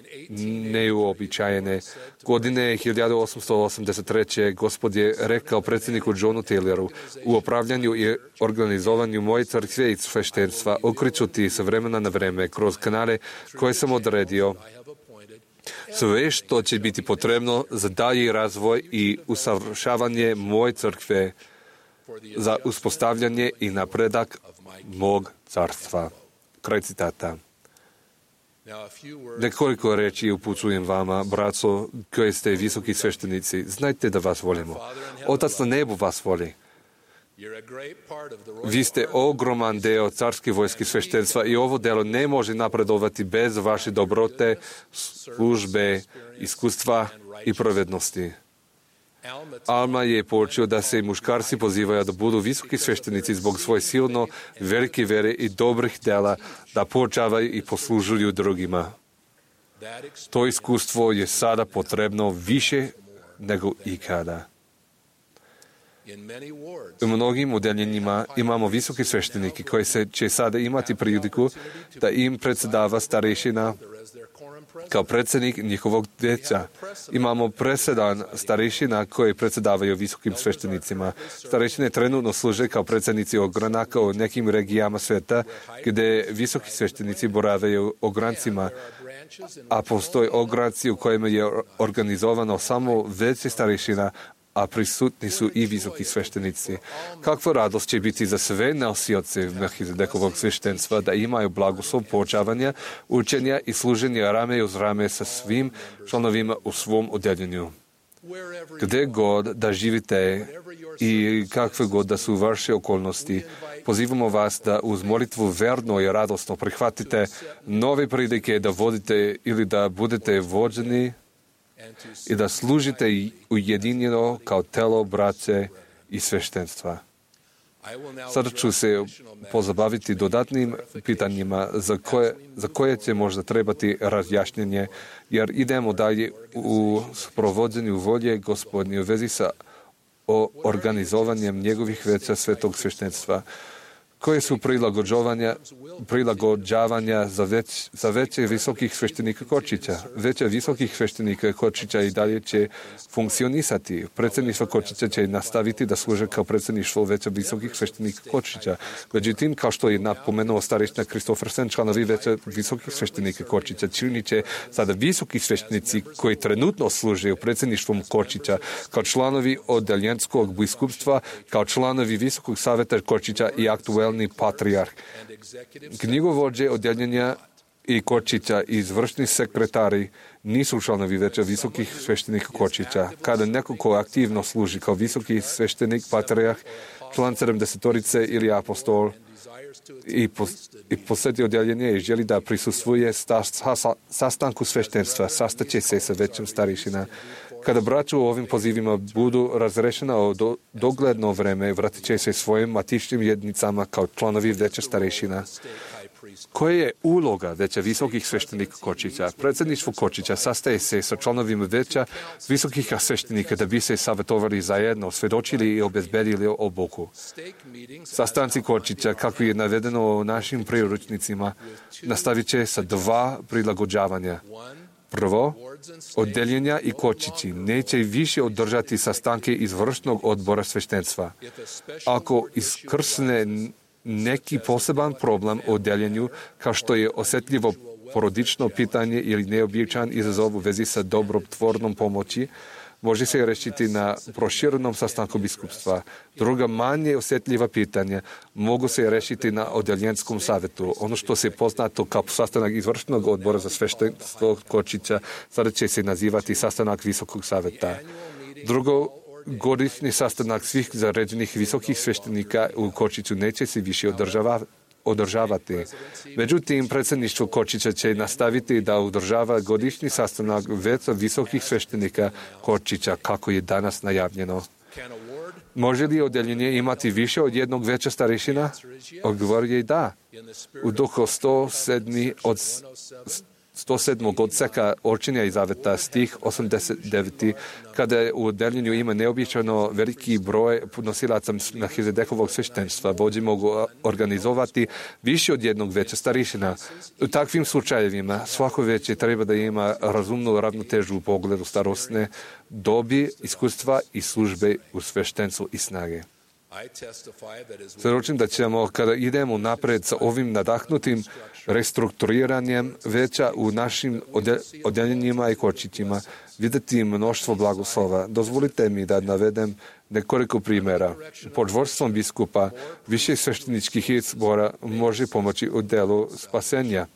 neuobičajene. Godine hiljadu osamsto osamdeset treće. Gospod je rekao predsjedniku Johnu Tayloru: u upravljanju i organizovanju moje crkve i sveštenstva okreću ti se vremena na vreme kroz kanale koje sam odredio sve što će biti potrebno za dalji razvoj i usavršavanje moje crkve, za uspostavljanje i napredak mog carstva. Kraj citata. Nekoliko reči upućujem vama, braco, koji ste visoki sveštenici. Znajte da vas volimo. Otac na nebu vas voli. Vi ste ogroman deo carske vojske sveštenstva i ovo delo ne može napredovati bez vaše dobrote, službe, iskustva i pravednosti. Alma je počeo da se muškarci pozivaju da budu visoki sveštenici zbog svoje silno velike vere i dobrih dela, da poučavaju i poslužuju drugima. To iskustvo je sada potrebno više nego ikada. U mnogim udeljenjima imamo visoki svešteniki koji se će sada imati priliku da im predsjedava starešina kao predsjednik njihovog djeca. Imamo presedan starešina koji predsjedavaju visokim sveštenicima. Starešine trenutno služe kao predsjednici ogranaka u nekim regijama sveta gdje visoki sveštenici boravaju ograncima, a postoje ogranci u kojima je organizovano samo veće starešina, a prisutni su i visoki sveštenici. Kakva radost će biti za sve nosioce Melhizedekovog sveštenstva da imaju blagoslov poučavanja, učenja i služenja rame uz rame sa svim članovima u svom odeljenju. Gdje god da živite i kakve god da su vaše okolnosti, pozivamo vas da uz molitvu verno i radosno prihvatite nove prilike da vodite ili da budete vođeni i da služite ujedinjeno kao telo braće i sveštenstva. Sada ću se pozabaviti dodatnim pitanjima za koje, za koje će možda trebati razjašnjenje, jer idemo dalje u sprovođenju volje Gospodnje u vezi sa o organizovanjem njegovih veća svetog sveštenstva, koje su prilagođavanja, prilagođavanja za, već, za veće visokih sveštenika Kočića. Veće visokih sveštenika Kočića i dalje će funkcionisati. Predsjedništvo Kočića će nastaviti da služe kao predsjedništvo veća visokih sveštenika Kočića. Međutim, kao što je napomenuo starešina Kristoffersen, članovi veća visokih sveštenika Kočića činit će sada visoki sveštenici koji trenutno služe u predsjedništvom Kočića kao članovi odeljenskog biskupstva, kao članovi Visokog savjeta Kočića i aktuelni patrijarh. Knjigovođe odjeljenja i Kočića i izvršni sekretari nisu članovi veća visokih sveštenika Kočića. Kada neko ko aktivno služi kao visoki sveštenik, patrijarh, član sedamdesetorice ili apostol i, pos, i posjeti odjeljenje i želi da prisustvuje sta, sa, sastanku sveštenstva, sastaće se sa većim starešina. Kada braća u ovim pozivima budu razrešena o do, dogledno vreme, vratit će se svojim matičnim jednicama kao članovi veća starešina. Koja je uloga veća visokih sveštenika Kočića? Predsjedništvo Kočića sastaje se sa članovima veća visokih sveštenika da bi se savjetovali zajedno, svedočili i obezbedili obuku. Sastanci Kočića, kako je navedeno u našim priručnicima, nastavit će sa dva prilagođavanja. Prvo, oddeljenja i Kočići neće više održati sastanke izvršnog odbora sveštenstva. Ako iskrsne neki poseban problem u oddeljenju, kao što je osjetljivo porodično pitanje ili neobičajan izazov u vezi sa dobrotvornom pomoći, može se rešiti na proširenom sastanku biskupstva. Druga manje osjetljiva pitanja mogu se rešiti na odeljenskom savjetu. Ono što se poznato kao sastanak izvršnog odbora za sveštenstvo Kočića sada će se nazivati sastanak Visokog savjeta. Drugo, godišnji sastanak svih zaređenih visokih sveštenika u Kočiću neće se više održavati. održavati. Međutim, predsjedništvo Kočića će nastaviti da održava godišnji sastanak veća visokih sveštenika Kočića, kako je danas najavljeno. Može li odjeljenje imati više od jednog veća starešina? Odgovor je da. U duhu sto sedam od sto sedmog odseka Orčenja i zaveta stih osamdeset devet. Kada je u odjeljenju ima neobičajno veliki broj nosilaca Melhizedekovog sveštenstva, vođe mogu organizovati više od jednog veća starešina. U takvim slučajevima svako veće treba da ima razumnu ravnotežu u pogledu starosne dobi, iskustva i službe u sveštenstvu i snage. Svjedočim da ćemo, kada idemo napred sa ovim nadahnutim restrukturiranjem veća u našim odjeljenjima i Kočićima, vidjeti mnoštvo blagoslova. Dozvolite mi da navedem nekoliko primjera. Pod vodstvom biskupa više svešteničkih izbora može pomoći u delu spasenja.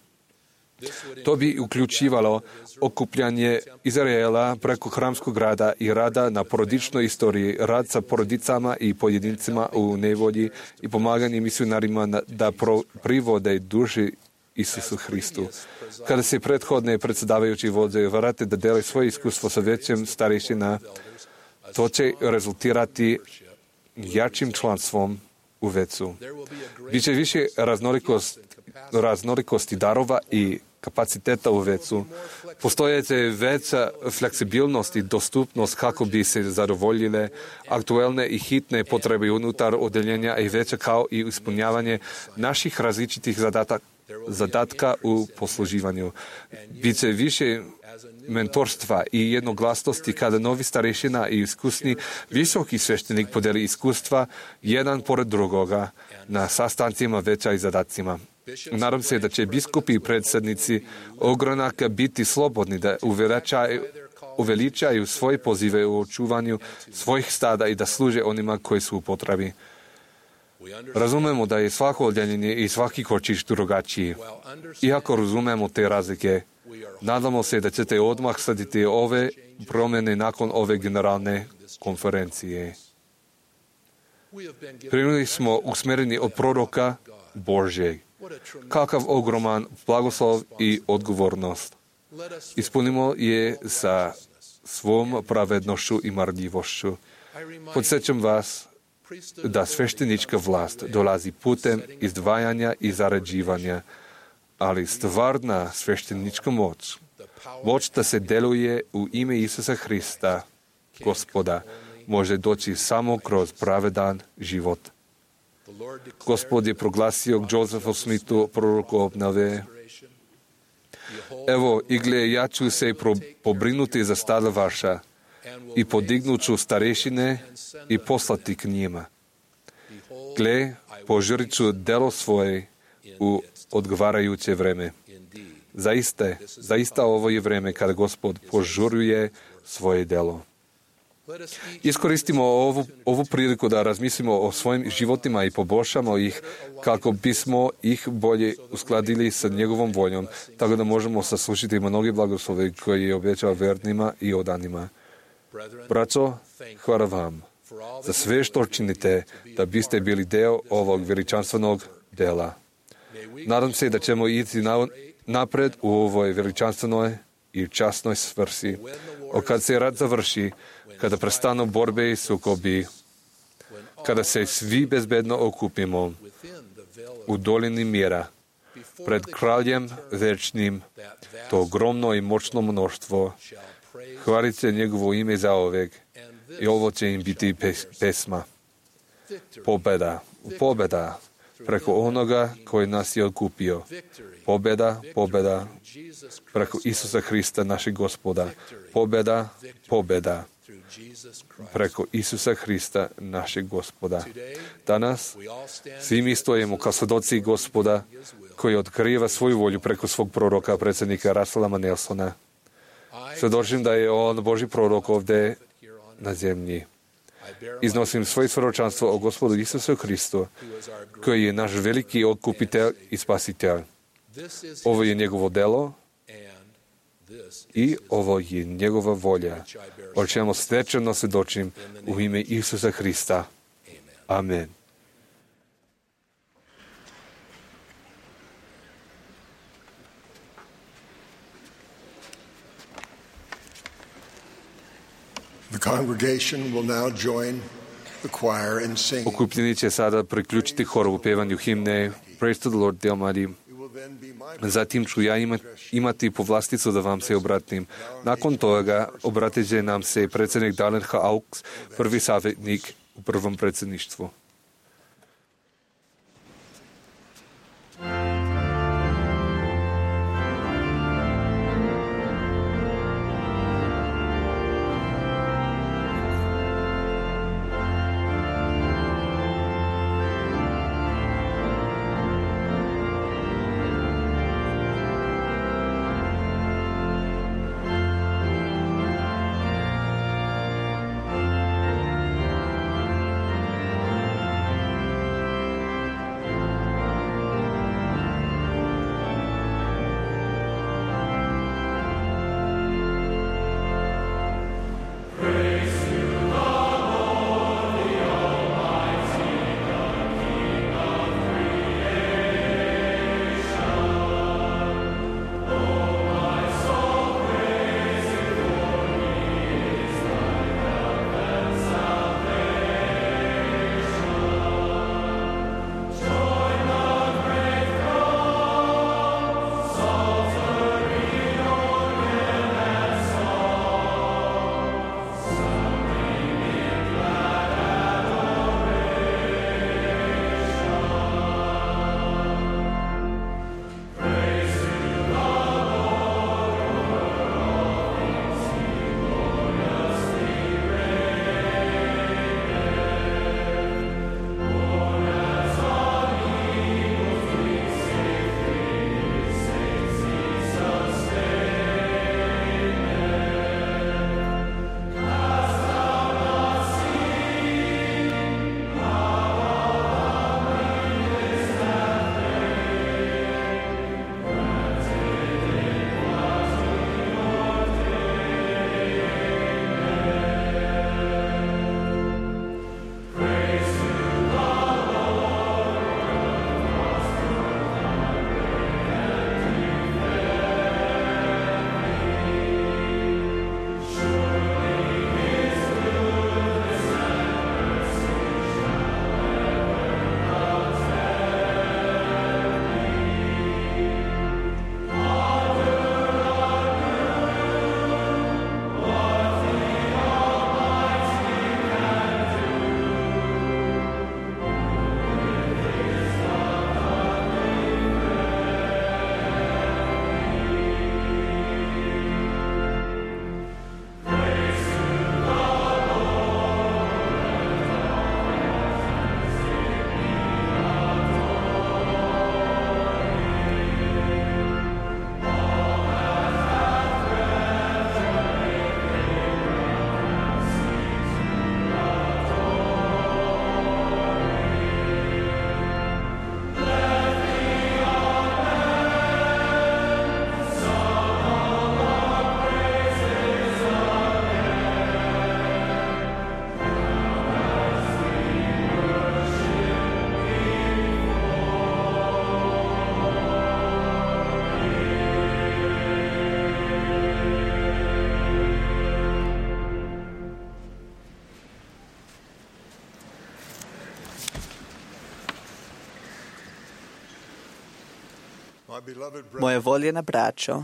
To bi uključivalo okupljanje Izraela preko hramskog rada i rada na porodičnoj istoriji, rad sa porodicama i pojedincima u nevolji i pomaganje misionarima da pro, privode duši Isusu Hristu. Kada se prethodne predsjedavajući vođe vrate da dele svoje iskustvo sa većim starešina, to će rezultirati jačim članstvom u vecu. Biće više raznolikost, raznolikosti darova i kapaciteta u vecu. Postojeće veća fleksibilnost i dostupnost kako bi se zadovoljile aktuelne i hitne potrebe unutar odjeljenja i veća kao i ispunjavanje naših različitih zadatak, zadatka u posluživanju. Biće više mentorstva i jednoglasnosti kada novi starešina i iskusni visoki sveštenik podeli iskustva jedan pored drugoga na sastancima veća i zadacima. Nadam se da će biskupi i predsjednici ogranaka biti slobodni da uveličaju, uveličaju svoje pozive u očuvanju svojih stada i da služe onima koji su u potrebi. Razumemo da je svako odjeljenje i svaki Kočić drugačiji. Iako razumemo te razlike, nadamo se da ćete odmah slediti ove promjene nakon ove generalne konferencije. Primili smo usmjereni od proroka Božjeg. Kakav ogroman blagoslov i odgovornost. Ispunimo je sa svom pravednošću i marljivošću. Podsjećam vas da sveštenička vlast dolazi putem izdvajanja i zarađivanja, ali stvarna sveštenička moć, moć da se deluje u ime Isusa Hrista, Gospoda, može doći samo kroz pravedan život. Gospod je proglasio Josephu Smithu, proroku obnove: evo, i gle, ja ću se pobrinuti za stada vaša i podignut ću starešine i poslati k njima. Gle, požurit ću delo svoje u odgovarajuće vreme. Zaista, zaista ovo je vreme kada Gospod požuruje svoje delo. Iskoristimo ovu, ovu priliku da razmislimo o svojim životima i poboljšamo ih kako bismo ih bolje uskladili sa njegovom voljom, tako da možemo saslušati mnogi blagoslove koje je obećao vernima i odanima. Braćo, hvala vam za sve što činite da biste bili deo ovog veličanstvenog dela. Nadam se da ćemo ići napred u ovoj veličanstvenoj i časnoj svrsi. O kad se rat završi, kada prestanu borbe i sukobi, kada se svi bezbedno okupimo u dolini mira, pred kraljem večnim, to ogromno i moćno mnoštvo, hvalite njegovo ime zaovek i ovo će im biti pesma. Pobeda, pobeda preko onoga koji nas je okupio. Pobeda, pobeda preko Isusa Hrista, našeg Gospoda. Pobeda, pobeda preko Isusa Hrista, našeg Gospoda. Danas svi mi stojimo kao svedoci Gospoda koji otkriva svoju volju preko svog proroka, predsjednika Russella Nelsona. Svedočim da je on Božji prorok ovdje na zemlji. Iznosim svoje svjedočanstvo o Gospodu Isusu Hristu, koji je naš veliki okupitelj i spasitelj. Ovo je njegovo delo i ovo je njegova volja, o čemu svečano svjedočim u ime Isusa Hrista. Amen. The congregation will now join the choir in singing. Okupljeni će sada priključiti horu u pevanju himne Praise to the Lord, the Almighty. Zatim ću ja imati povlasticu da vam se obratim. Nakon toga obratit će nam se predsjednik Dallin H. Oaks, prvi savjetnik u prvom predsjedništvu. Thank Moje voljena braćo,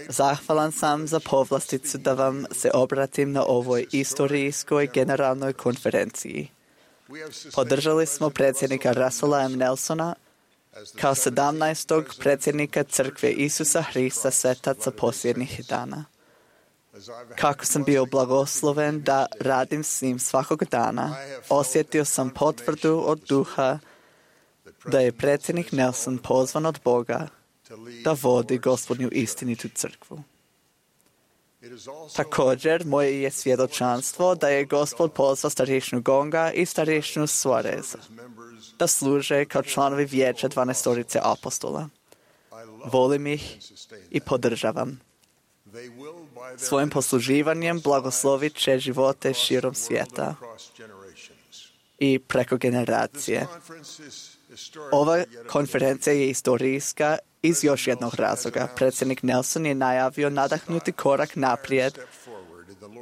zahvalan sam za povlasticu da vam se obratim na ovoj istorijskoj generalnoj konferenciji. Podržali smo predsjednika Russella M. Nelsona kao sedamnaestog predsjednika Crkve Isusa Hrista svetaca posljednjih dana. Kako sam bio blagosloven da radim s njim svakog dana, osjetio sam potvrdu od duha da je predsjednik Nelson pozvan od Boga da vodi Gospodnju istinitu crkvu. Također, moje je svjedočanstvo da je Gospod pozvao starješinu Gonga i starješinu Suareza da služe kao članovi vijeća dvanaestorice apostola. Volim ih i podržavam. Svojim posluživanjem blagoslovit će živote širom svijeta i preko generacije. Ova konferencija je istorijska iz još jednog razloga. Predsjednik Nelson je najavio nadahnuti korak naprijed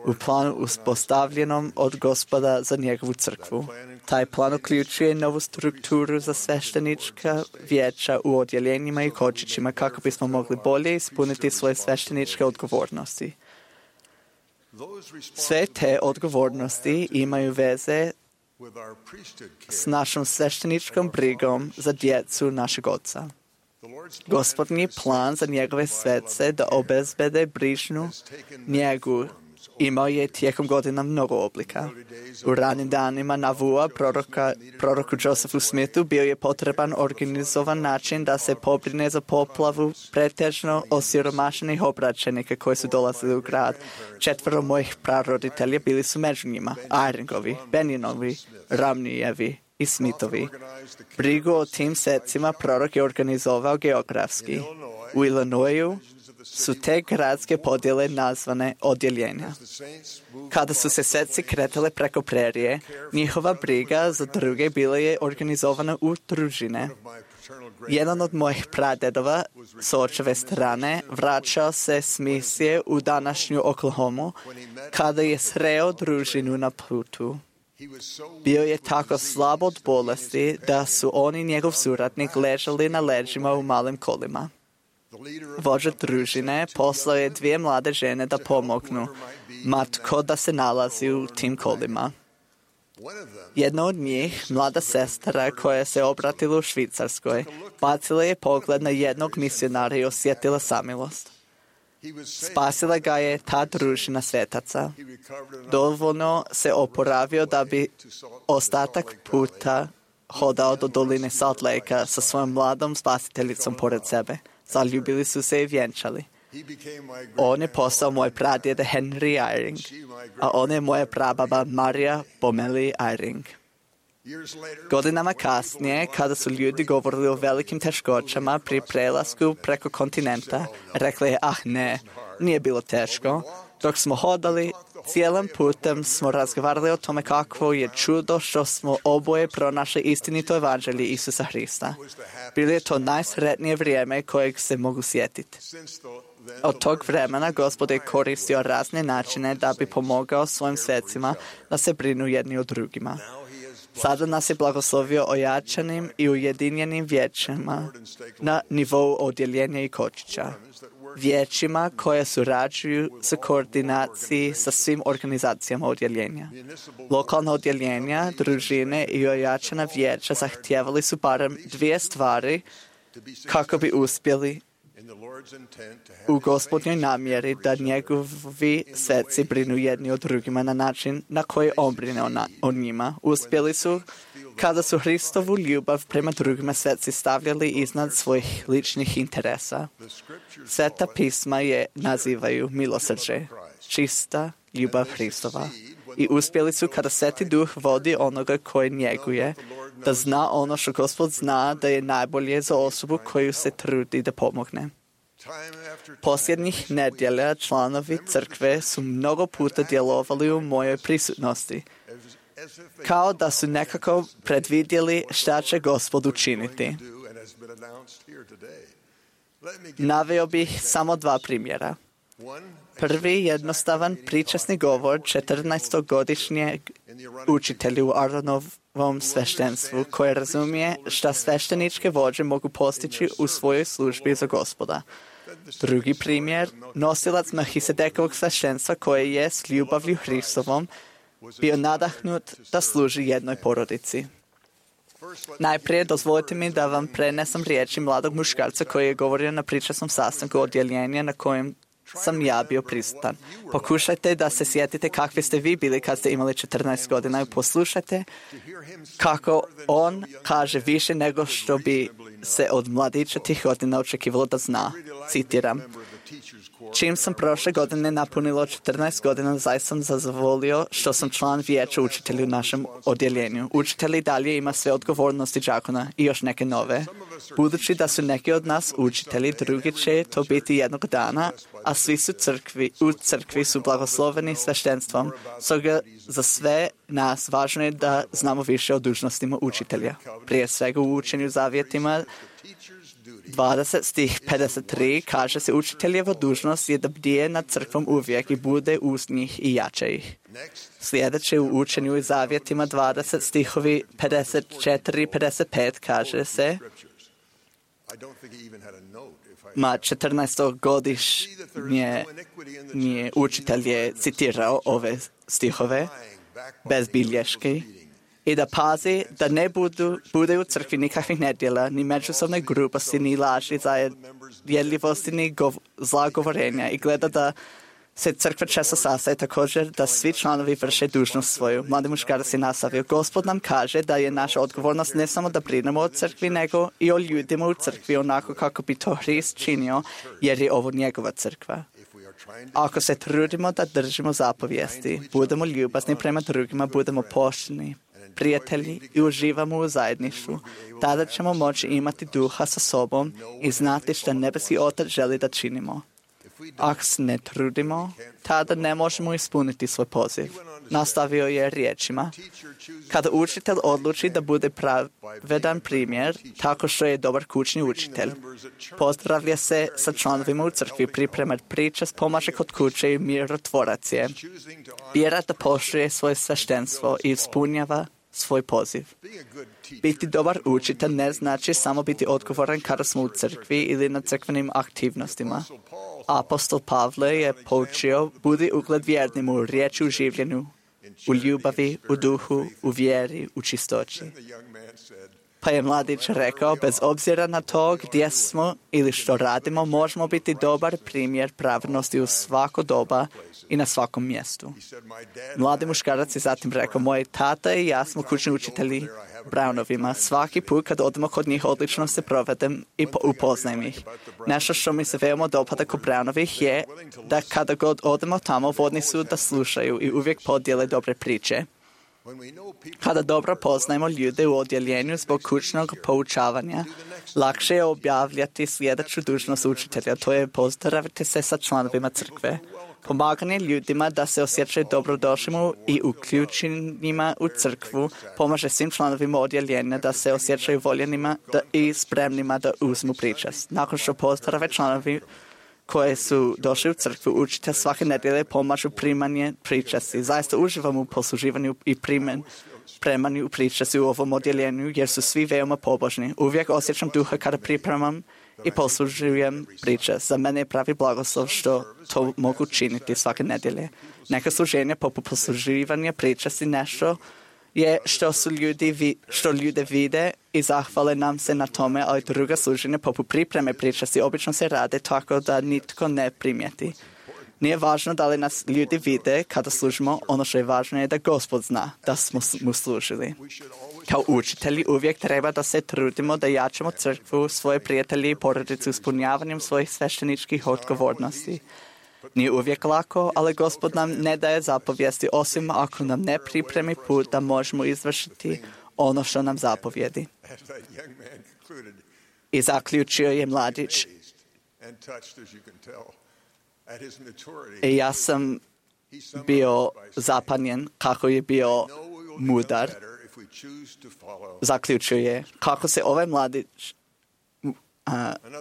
u planu uspostavljenom od Gospoda za njegovu crkvu. Taj plan uključuje novu strukturu za sveštenička vijeća u odjeljenjima i kočićima kako bismo mogli bolje ispuniti svoje svešteničke odgovornosti. Sve te odgovornosti imaju veze s našom svešteničkom brigom za djecu našeg Oca. Gospodnji plan za njegove svece da obezbede brižnu njegu imao je tijekom godina mnogo oblika. U ranim danima Navua, proroka, proroku Josephu Smithu, bio je potreban organizovan način da se pobrine za poplavu pretežno osiromašenih obraćenika koji su dolazili u grad. Četvero mojih praroditelja bili su među njima: Iringovi, Benjinovi, Ramnijevi i Smithovi. Brigu o tim secima prorok je organizovao geografski. U Illinoisu su te gradske podjele nazvane odjeljenja. Kada su se seci kretale preko prerije, njihova briga za druge bila je organizovana u družine. Jedan od mojih pradedova s očeve strane vraćao se s misije u današnju Oklahomu kada je sreo družinu na putu. Bio je tako slab od bolesti da su on i njegov suradnik ležali na leđima u malim kolima. Vođa družine poslao je dvije mlade žene da pomognu ma tko da se nalazi u tim kolima. Jedna od njih, mlada sestra koja se obratila u Švicarskoj, bacila je pogled na jednog misionara i osjetila samilost. Spasila ga je ta družina svetaca. Dovoljno se oporavio da bi ostatak puta hodao do doline Salt Lakea sa svojom mladom spasiteljicom pored sebe. Zaljubili su se i vjenčali. On je postao moj pradjed Henry Eyring, a ona je moja prababa Marija Bomeli Eyring. Godinama kasnije, kada su ljudi govorili o velikim teškoćama pri prelasku preko kontinenta, rekli je: ah ne, nije bilo teško. Dok smo hodali, cijelim putem smo razgovarali o tome kakvo je čudo što smo oboje pronašli istinito evanđelje Isusa Hrista. Bilo je to najsretnije vrijeme kojeg se mogu sjetiti. Od tog vremena Gospod je koristio razne načine da bi pomogao svojim svecima da se brinu jedni o drugima. Sada nas je blagoslovio ojačanim i ujedinjenim vijećima na nivou odjeljenja i kočića. Vijećima koje surađuju sa koordinaciji sa svim organizacijama odjeljenja. Lokalna odjeljenja, družine i ojačana vijeća zahtijevali su barem dvije stvari kako bi uspjeli u Gospodnjoj namjeri da njegovi sveci brinu jedni o drugima na način na koji on brine o njima. Uspjeli su kada su Hristovu ljubav prema drugima sveci stavljali iznad svojih ličnih interesa. Sveta pisma je nazivaju milosrđe, čista ljubav Hristova. I uspjeli su kada Sveti Duh vodi onoga koji njeguje, da zna ono što Gospod zna da je najbolje za osobu koju se trudi da pomogne. Posljednjih nedjelja članovi crkve su mnogo puta djelovali u mojoj prisutnosti, kao da su nekako predvidjeli šta će Gospod učiniti. Naveo bih samo dva primjera. Prvi jednostavan pričasni govor četrnaestogodišnjeg učitelji u Aronovom sveštenstvu koje razumije šta svešteničke vođe mogu postići u svojoj službi za Gospoda. Drugi primjer, nosilac Melhisedekovog sveštenstva koje je s ljubavlju Hristovom bio nadahnut da služi jednoj porodici. Najprije dozvolite mi da vam prenesem riječi mladog muškarca koji je govorio na pričasnom sastanku odjeljenja na kojem sam ja bio prisutan. Pokušajte da se sjetite kakvi ste vi bili kad ste imali četrnaest godina i poslušajte kako on kaže više nego što bi se od mladića tih godina očekivalo da zna. Citiram. Čim sam prošle godine napunilo četrnaest godina, zaista sam zadovoljio što sam član vijeća učitelja u našem odjeljenju. Učitelj i dalje ima sve odgovornosti đakona i još neke nove. Budući da su neki od nas učitelji, drugi će to biti jednog dana, a svi su crkvi, u crkvi su blagosloveni sveštenstvom. Stoga za sve nas važno je da znamo više o dužnostima učitelja. Prije svega u učenju zavjetima dvadeset stih pedeset tri kaže se učiteljeva dužnost je da bdije nad crkvom uvijek i bude uz njih i jače ih. Sljedeće u učenju i zavjetima dvadeset stihovi pedeset četiri pedeset pet kaže se ma četrnaestogodišnji učitelj je citirao ove stihove bez bilješke i da pazi da ne budu, bude u crkvi nikakvih nedjela, ni međusobne grubosti, ni laži, zajedljivosti, ni gov, zla govorenja i gleda da se crkva često sastaje također da svi članovi vrše dužnost svoju. Mladi muškarac je nastavio. Gospod nam kaže da je naša odgovornost ne samo da brinemo o crkvi, nego i o ljudima u crkvi onako kako bi to Hrist činio, jer je ovo njegova crkva. Ako se trudimo da držimo zapovijesti, budemo ljubazni prema drugima, budemo pošteni, prijatelji i uživamo u zajedništvu, tada ćemo moći imati duha sa sobom i znati što nebeski Otac želi da činimo. Ako se ne trudimo, tada ne možemo ispuniti svoj poziv. Nastavio je riječima. Kada učitelj odluči da bude pravedan primjer, tako što je dobar kućni učitelj, pozdravlja se sa članovima u crkvi, priprema priče, pomaže kod kuće i mirotvorac je. Bira da poštuje svoje sveštenstvo i ispunjava svoj poziv. Biti dobar učitelj ne znači samo biti odgovoran kada smo u crkvi ili na crkvenim aktivnostima. Apostol Pavle je poučio budi ugled vjernim u riječi, u življenju, u ljubavi, u duhu, u vjeri, u čistoći. Pa je mladić rekao, bez obzira na to gdje smo ili što radimo, možemo biti dobar primjer pravednosti u svako doba i na svakom mjestu. Mladi muškarac je zatim rekao, moj tata i ja smo kućni učitelji Brownovima. Svaki put kad odemo kod njih odlično se provedem i upoznajem ih. Nešto što mi se veoma dopada kod Brownovih je da kada god odemo tamo, vodni su da slušaju i uvijek podijele dobre priče. Kada dobro poznajemo ljude u odjeljenju zbog kućnog poučavanja, lakše je objavljati sljedeću dužnost učitelja, to je pozdraviti se sa članovima crkve. Pomaganje ljudima da se osjećaju dobrodošlima i uključenima u crkvu pomaže svim članovima odjeljenja da se osjećaju voljenima da i spremnima da uzmu pričast. Nakon što pozdrave članovi koje su došli u crkvu, učitelj svake nedjelje pomažu primanje pričasti. Zaista uživam u posluživanju i primen, premanju pričasti u ovom odjeljenju jer su svi veoma pobožni. Uvijek osjećam duha kada pripremam i poslužujem pričast. Za mene je pravi blagoslov što to mogu činiti svake nedjelje. Neka služenja poput posluživanja pričasti nešto je što su ljudi, što ljude vide i zahvale nam se na tome, ali druga služenja poput pripreme pričasti obično se rade tako da nitko ne primijeti. Nije važno da li nas ljudi vide kada služimo, ono što je važno je da Gospod zna da smo mu služili. Kao učitelji uvijek treba da se trudimo da jačamo crkvu, svoje prijatelje i porodice ispunjavanjem svojih svešteničkih odgovornosti. Nije uvijek lako, ali Gospod nam ne daje zapovijesti osim ako nam ne pripremi put da možemo izvršiti ono što nam zapovjedi. I zaključio je mladić. I ja sam bio zapanjen kako je bio mudar. Zaključio je kako se ovaj mladić Uh,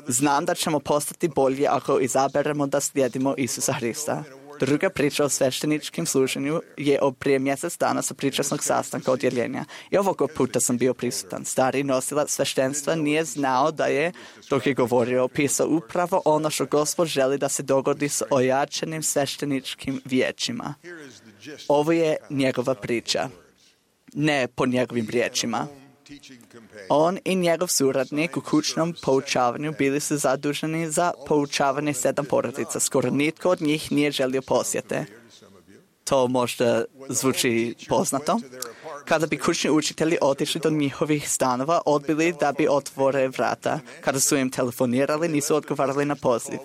znam da ćemo postati bolji ako izaberemo da slijedimo Isusa Hrista. Druga priča o svešteničkim služenju je od prije mjesec dana sa pričasnog sastanka odjeljenja. I ovoga puta sam bio prisutan. Stari nosilac sveštenstva nije znao da je, dok je govorio, opisao upravo ono što Gospod želi da se dogodi s ojačanim svešteničkim vijećima. Ovo je njegova priča, ne po njegovim riječima. On i njegov suradnik u kućnom poučavanju bili su zaduženi za poučavanje sedam porodica. Skoro nitko od njih nije želio posjete. To možda zvuči poznato. Kada bi kućni učitelji otišli do njihovih stanova, odbili da bi otvore vrata. Kada su im telefonirali, nisu odgovarali na poziv.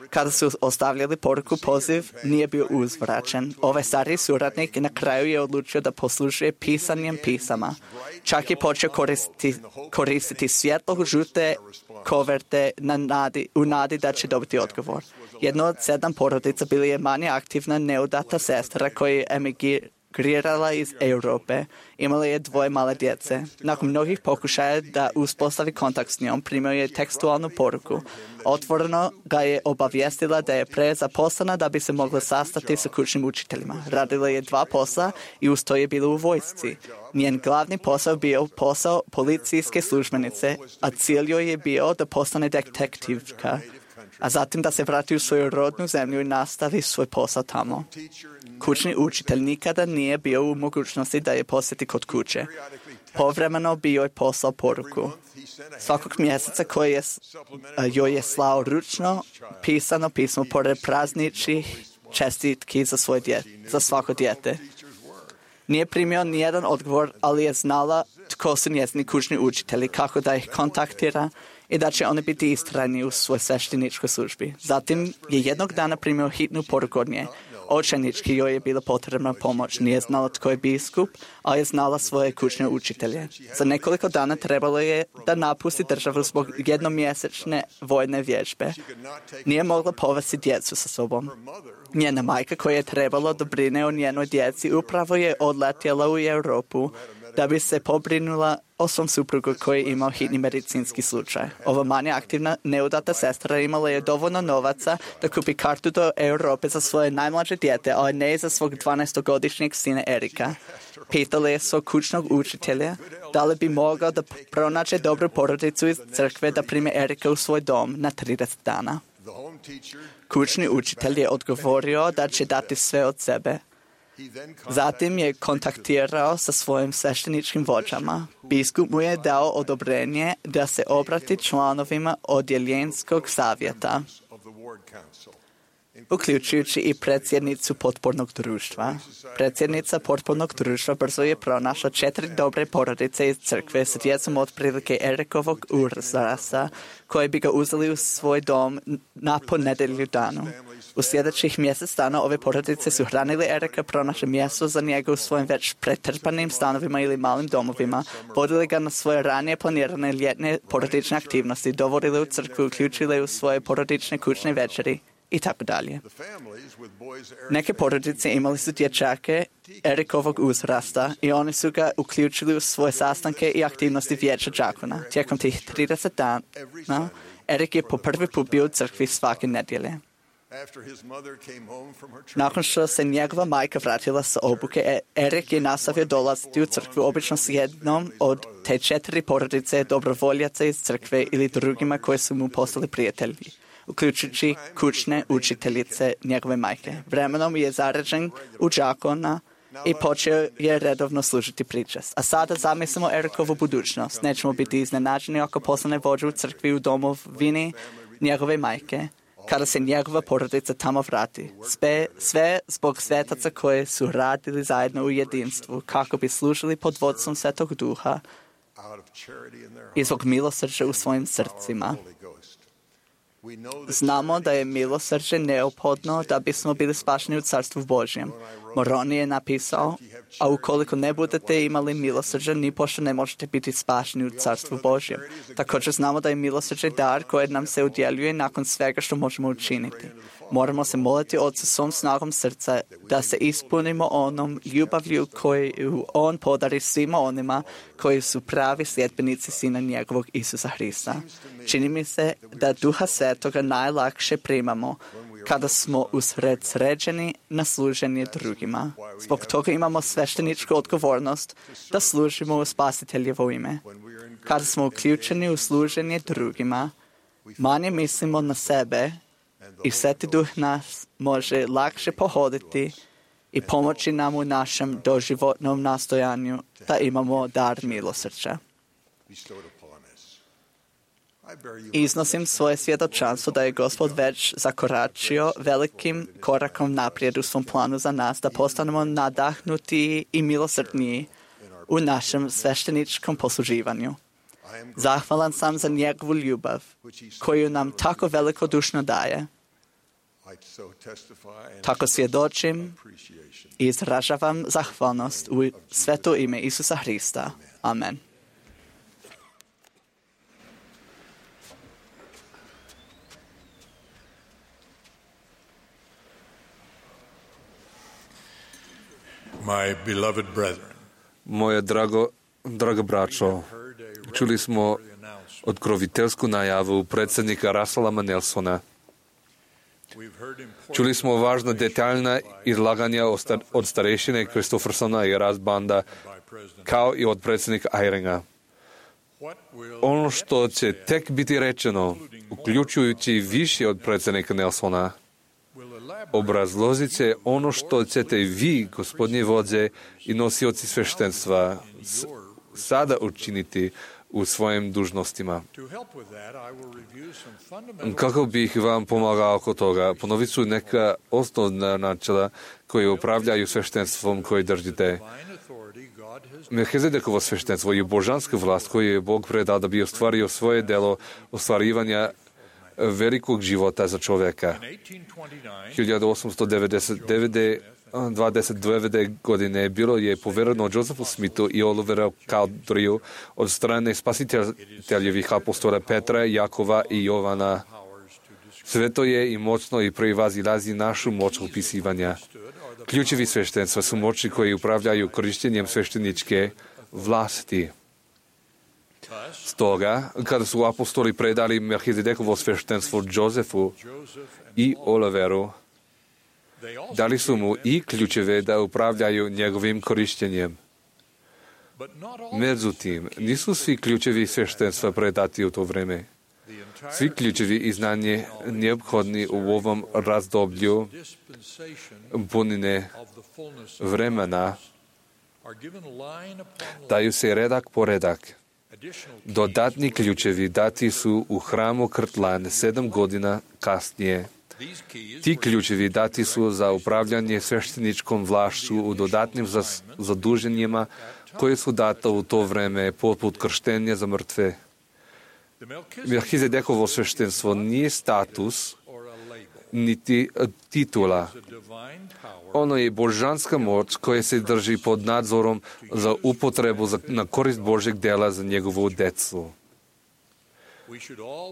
Kada su ostavljali poruku, poziv nije bio uzvraćen. Ovaj stariji suradnik na kraju je odlučio da poslužuje pisanjem pisama. Čak je počeo koristiti, koristiti svjetlo žute koverte na nadi, u nadi da će dobiti odgovor. Jedno od sedam porodica bila je manje aktivna neudata sestra koja je emigrirala iz Europe. Imala je dvoje male djece. Nakon mnogih pokušaja da uspostavi kontakt s njom, primio je tekstualnu poruku. Otvoreno ga je obavijestila da je prezaposlena da bi se mogla sastati sa kućnim učiteljima. Radila je dva posla i uz to je bila u vojsci. Njen glavni posao bio posao policijske službenice, a cilj joj je bio da postane detektivka, a zatim da se vrati u svoju rodnu zemlju i nastavi svoj posao tamo. Kućni učitelj nikada nije bio u mogućnosti da je posjeti kod kuće. Povremeno bi joj poslao poruku. Svakog mjeseca koji je, joj je slao ručno pisano pismo pored prazničnih čestitki za, svoj djet, za svako dijete. Nije primio nijedan odgovor, ali je znala tko su njezini kućni učitelji, kako da ih kontaktira i da će oni biti istrajni u svoj svešteničkoj službi. Zatim je jednog dana primio hitnu poruku od nje. Očajnički joj je bila potrebna pomoć. Nije znala tko je biskup, ali je znala svoje kućne učitelje. Za nekoliko dana trebalo je da napusti državu zbog jednomjesečne vojne vježbe. Nije mogla povesti djecu sa sobom. Njena majka koja je trebalo da brine o njenoj djeci upravo je odletjela u Europu da bi se pobrinula o svom suprugu koji je imao hitni medicinski slučaj. Ova manje aktivna neudata sestra imala je dovoljno novaca da kupi kartu do Europe za svoje najmlađe dijete, ali ne za svog dvanaestogodišnjeg sina Erika. Pitala je svog kućnog učitelja da li bi mogao da pronađe dobru porodicu iz crkve da prime Erika u svoj dom na trideset dana. Kućni učitelj je odgovorio da će dati sve od sebe. Zatim je kontaktirao sa svojim svešteničkim vođama. Biskup mu je dao odobrenje da se obrati članovima odjeljenskog savjeta, uključujući i predsjednicu potpornog društva. Predsjednica potpornog društva brzo je pronašla četiri dobre porodice iz crkve s djecom otprilike Erikovog uzrasta, koje bi ga uzeli u svoj dom na ponedjelju danu. U sljedećih mjesec dana ove porodice su hranili Erika, pronašli mjesto za njega u svojim već pretrpanim stanovima ili malim domovima, vodili ga na svoje ranije planirane ljetne porodične aktivnosti, dovodili u crkvu, uključili u svoje porodične kućne večeri i tako dalje. Neke porodice imali su dječake Erikovog uzrasta i oni su ga uključili u svoje sastanke i aktivnosti vijeća đakona. Tijekom tih trideset dana Erik je po prvi put bio u crkvi svake nedjelje. Nakon što se njegova majka vratila sa obuke, Erik je nastavio dolaziti u crkvu, obično s jednom od te četiri porodice dobrovoljaca iz crkve ili drugima koje su mu postali prijatelji, uključujući kućne učiteljice njegove majke. Vremenom je zarađen u đakona i počeo je redovno služiti pričast. A sada zamislimo Erikovu budućnost. Nećemo biti iznenađeni ako postane vođa u crkvi u domovini njegove majke, kada se njegova porodica tamo vrati. Sve, sve zbog svetaca koje su radili zajedno u jedinstvu, kako bi služili pod vodstvom Svetog Duha i zbog milosrđa u svojim srcima. Znamo da je milosrđe neophodno da bismo bili spašeni u Carstvu Božjem. Moroni je napisao, a ukoliko ne budete imali milosrđe, ni pošto ne možete biti spašeni u Carstvu Božjem. Također znamo da je milosrđe dar koje nam se udjeljuje nakon svega što možemo učiniti. Moramo se moliti Otcu svom snagom srca da se ispunimo onom ljubavlju koju On podari svima onima koji su pravi sljedbenici Sina njegovog Isusa Hrista. Čini mi se da Duha Svetoga najlakše primamo kada smo usredsređeni na služenje drugima. Zbog toga imamo svešteničku odgovornost da služimo u Spasiteljevo ime. Kada smo uključeni u služenje drugima, manje mislimo na sebe i Sveti Duh nas može lakše pohoditi i pomoći nam u našem doživotnom nastojanju da imamo dar milosrđa. Iznosim svoje svjedočanstvo da je Gospod već zakoračio velikim korakom naprijed u svom planu za nas, da postanemo nadahnuti i milosrdniji u našem svešteničkom posluživanju. Zahvalan sam za njegovu ljubav, koju nam tako velikodušno daje. Tako svjedočim i izražavam zahvalnost u sveto ime Isusa Hrista. Amen. My beloved brethren, Moje drago, drago braćo, čuli smo otkroviteljsku najavu predsjednika Russella Nelsona. Čuli smo važna detaljna izlaganja od starešine Kristoffersona i Rasbanda, kao i od predsjednika Eyringa. Ono što će tek biti rečeno, uključujući više od predsjednika Nelsona, obrazložit će ono što ćete vi, gospodnje vođe i nosioci sveštenstva, sada učiniti u svojim dužnostima. Kako bih vam pomagao oko toga, ponovit ću neka osnovna načela koje upravljaju sveštenstvom koje držite. Melchizedekovo sveštenstvo je božanska vlast koju je Bog predao da bi ostvario svoje delo ostvarivanja velikog života za čovjeka. hiljadu osamsto devedeset devetog godine bilo je povereno Josephu Smithu i Oliveru Cowderiju od strane spasiteljevih apostola Petra, Jakova i Jovana. Sve to je i moćno i prevazilazi našu moć upisivanja. Ključevi sveštenstva su moći koji upravljaju korištenjem svešteničke vlasti. Stoga, kada su apostoli predali Melchizedekovo sveštenstvo Josefu i Oliveru, dali su mu i ključeve da upravljaju njegovim korištenjem. Međutim, nisu svi ključevi sveštenstva predati u to vreme. Svi ključevi i znanje neophodni u ovom razdoblju punine vremena daju se redak po redak. Dodatni ključevi dati su u hramu Krtlan sedam godina kasnije. Ti ključevi dati su za upravljanje svešteničkom vlašću u dodatnim zaduženjima koje su data u to vreme poput krštenja za mrtve. Melchizedekovo sveštenstvo nije status niti titula. Ono je božanska moć koja se drži pod nadzorom za upotrebu za, na korist Božeg dela za njegovu decu.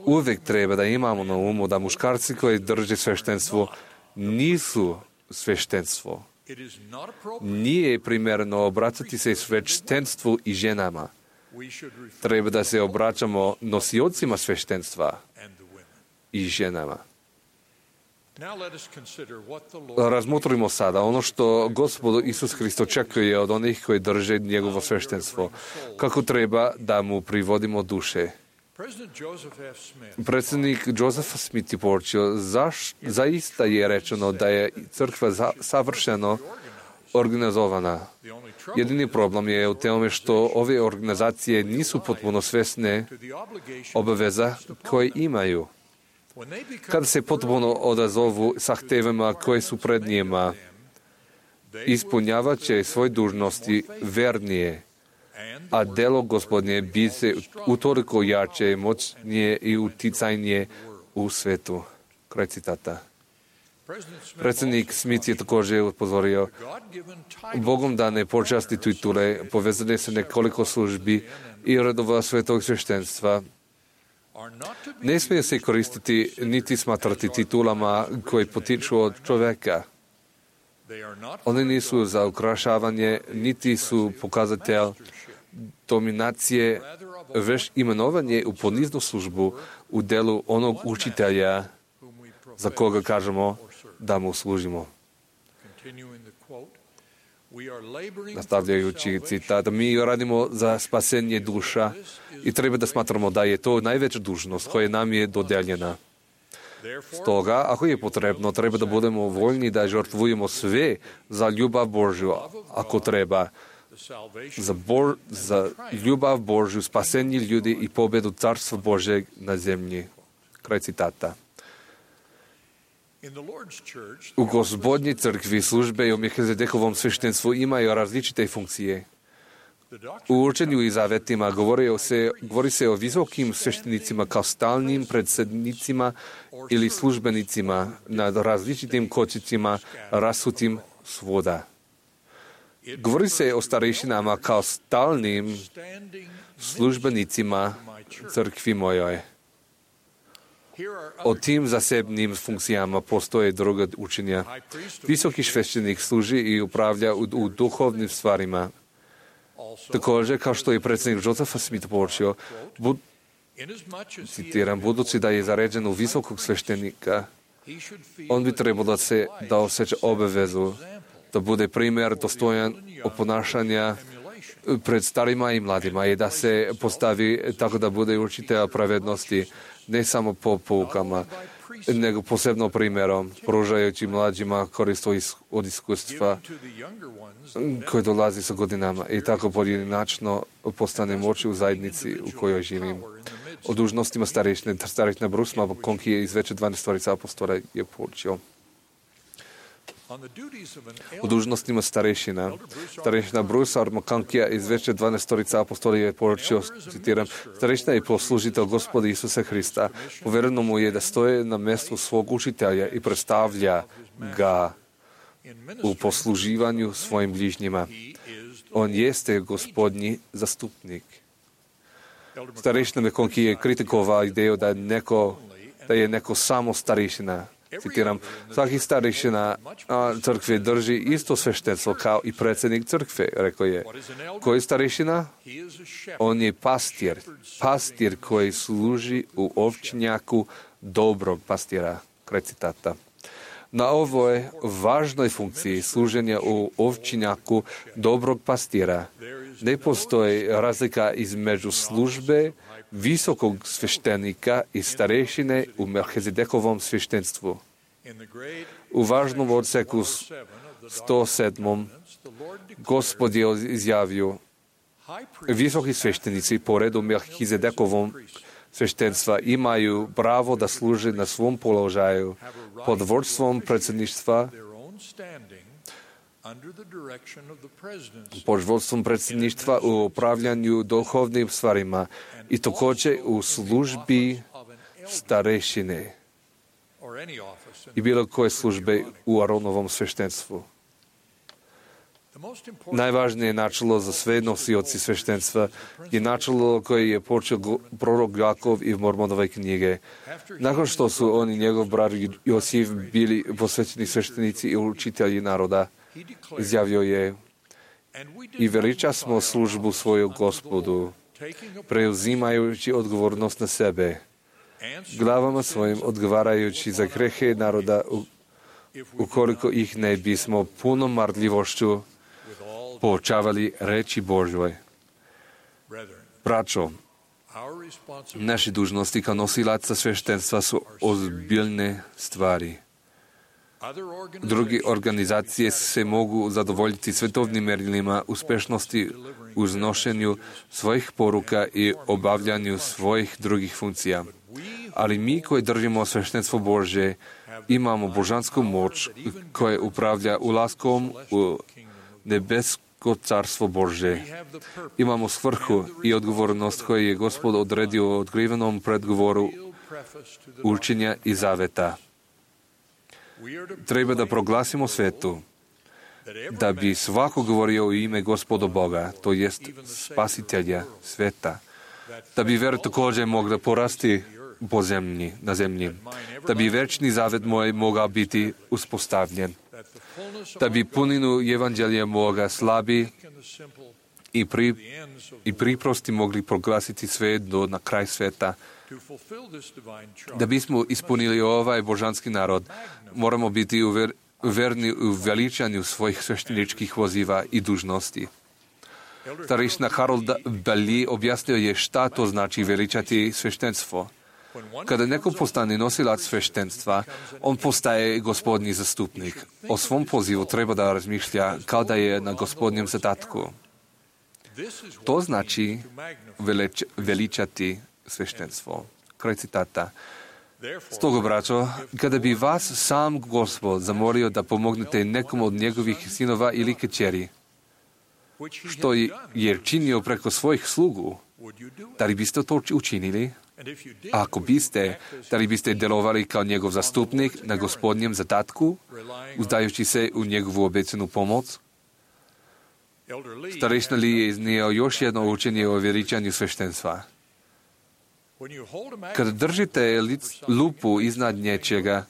Uvijek treba da imamo na umu da muškarci koji drže sveštenstvo nisu sveštenstvo. Nije primjerno obraćati se sveštenstvu i ženama. Treba da se obraćamo nosiocima sveštenstva i ženama. Razmotrimo sada ono što Gospod Isus Hrist očekuje od onih koji drže njegovo sveštenstvo. Kako treba da mu privodimo duše. Predsjednik Joseph Smith je poručio, zaš, zaista je rečeno da je crkva za, savršeno organizovana. Jedini problem je u tome što ove organizacije nisu potpuno svesne obaveza koje imaju. Kada se potpuno odazovu zahtevama koje su pred njima, ispunjavat će svoje dužnosti vernije, a delo Gospodnje bi se utoliko jače, moćnije i uticajnije u svetu. Kraj citata. Predsjednik Smith je također upozorio, Bogom dane počasti titule, povezane se nekoliko službi i redova svetog sveštenstva, ne smije se koristiti niti smatrati titulama koji potiču od čovjeka. One nisu za ukrašavanje, niti su pokazatelj dominacije, već imenovanje u poniznu službu u delu onog učitelja za koga kažemo da mu služimo. Nastavljajući citat, mi radimo za spasenje duša i treba da smatramo da je to najveća dužnost koja nam je dodeljena. Stoga, ako je potrebno, treba da budemo voljni da žrtvujemo sve za ljubav Božju, ako treba, za, Bo- za ljubav Božju, spasenje ljudi i pobedu Carstva Božeg na zemlji. Kraj citata. U Gospodnjoj crkvi službe i u Melchizedekovom sveštenstvu imaju različite funkcije. U učenju i zavetima govori se, govori se o visokim sveštenicima kao stalnim predsednicima ili službenicima nad različitim kočicima rasutim svoda. Govori se o starešinama kao stalnim službenicima crkvi mojoj. O tim zasebnim funkcijama postoje druga učenja. Visoki sveštenik služi i upravlja u, u duhovnim stvarima. Također, kao što je predsjednik Josefa Smith počeo, bud, citiram, budući da je zaređen u visokog sveštenika, on bi trebalo da se da osjeća obavezu, da bude primjer dostojan oponašanja pred starima i mladima i da se postavi tako da bude učitelj pravednosti, ne samo po poukama, nego posebno primjerom, pružajući mlađima korist od iskustva koje dolazi sa godinama i tako pojedinačno postane moći u zajednici u kojoj živim. O dužnostima starešine, starešina Bruce Makonki je iz veće dvanaestorica apostola je počeo. U dužnostima starešina. Starešina Bruce Makonkija iz veće dvanaestorica apostola je počeo, citiram, starešina je poslužitelj Gospoda Isusa Hrista. Povereno mu je da stoje na mjestu svog učitelja i predstavlja ga u posluživanju svojim bližnjima. On jeste Gospodnji zastupnik. Starešina Makonki je kritikovao ideju da je neko, da je neko samo starešina. Citiram, svaki starešina crkve drži isto sveštenstvo kao i predsjednik crkve, rekao je. Koji je starešina? On je pastir. Pastir koji služi u ovčnjaku dobrog pastira. Kraj citata. Na ovoj važnoj funkciji služenja u ovčnjaku dobrog pastira ne postoji razlika između službe visokog sveštenika i starešine u Melchizedekovom sveštenstvu. U važnom odseku sto sedam. Gospod je izjavio, visoki sveštenici po redu Melchizedekovom sveštenstva imaju pravo da služe na svom položaju pod vodstvom predsjedništva, pod vodstvom predsjedništva u upravljanju duhovnim stvarima i također u službi starešine i bilo koje službe u Aronovom sveštenstvu. Najvažnije načelo za sve nosioci sveštenstva je načelo koje je počeo prorok Jakov i Mormonove knjige. Nakon što su on i njegov brat Josif bili posvećeni sveštenici i učitelji naroda, izjavio je, i veliča smo službu svoju Gospodu, preuzimajući odgovornost na sebe, glavama svojim odgovarajući za grehe naroda, ukoliko ih ne bismo punom marljivošću poučavali reči Božjoj. Braćo, naše dužnosti kao nosilaca sveštenstva su ozbiljne stvari. Druge organizacije se mogu zadovoljiti svetovnim merilima uspešnosti u znošenju svojih poruka i obavljanju svojih drugih funkcija. Ali mi koji držimo sveštenstvo Božje imamo božansku moć koja upravlja ulaskom u nebesko carstvo Božje. Imamo svrhu i odgovornost koju je Gospod odredio u otkrivenom predgovoru učenja i zaveta. Treba da proglasimo svetu da bi svako govorio u ime Gospoda Boga, to jest spasitelja sveta, da bi vera također mogla porasti po zemlji, na zemlji, da bi večni zavet moj mogao biti uspostavljen, da bi puninu evanđelja moga slabi i, pri, i priprosti mogli proglasiti sve do na kraj sveta. Da bismo ispunili ovaj božanski narod, moramo biti uver, verni u veličanju svojih svešteničkih voziva i dužnosti. Starešina Harold Bailey objasnio je šta to znači veličati sveštenstvo. Kada neko postane nosilac sveštenstva, on postaje gospodnji zastupnik. O svom pozivu treba da razmišlja kao da je na gospodnjem zadatku. To znači velič, veličati sveštenstvo. Kraj citata. Stoga, braćo, kada bi vas sam Gospod zamolio da pomognete nekom od njegovih sinova ili kćeri, što je činio preko svojih slugu, da li biste to učinili? A ako biste, da li biste delovali kao njegov zastupnik na gospodnjem zadatku, uzdajući se u njegovu obecenu pomoć? Starešina Lee je iznio još jedno učenje o veličanju sveštenstva. Kad držite lupu iznad nečega,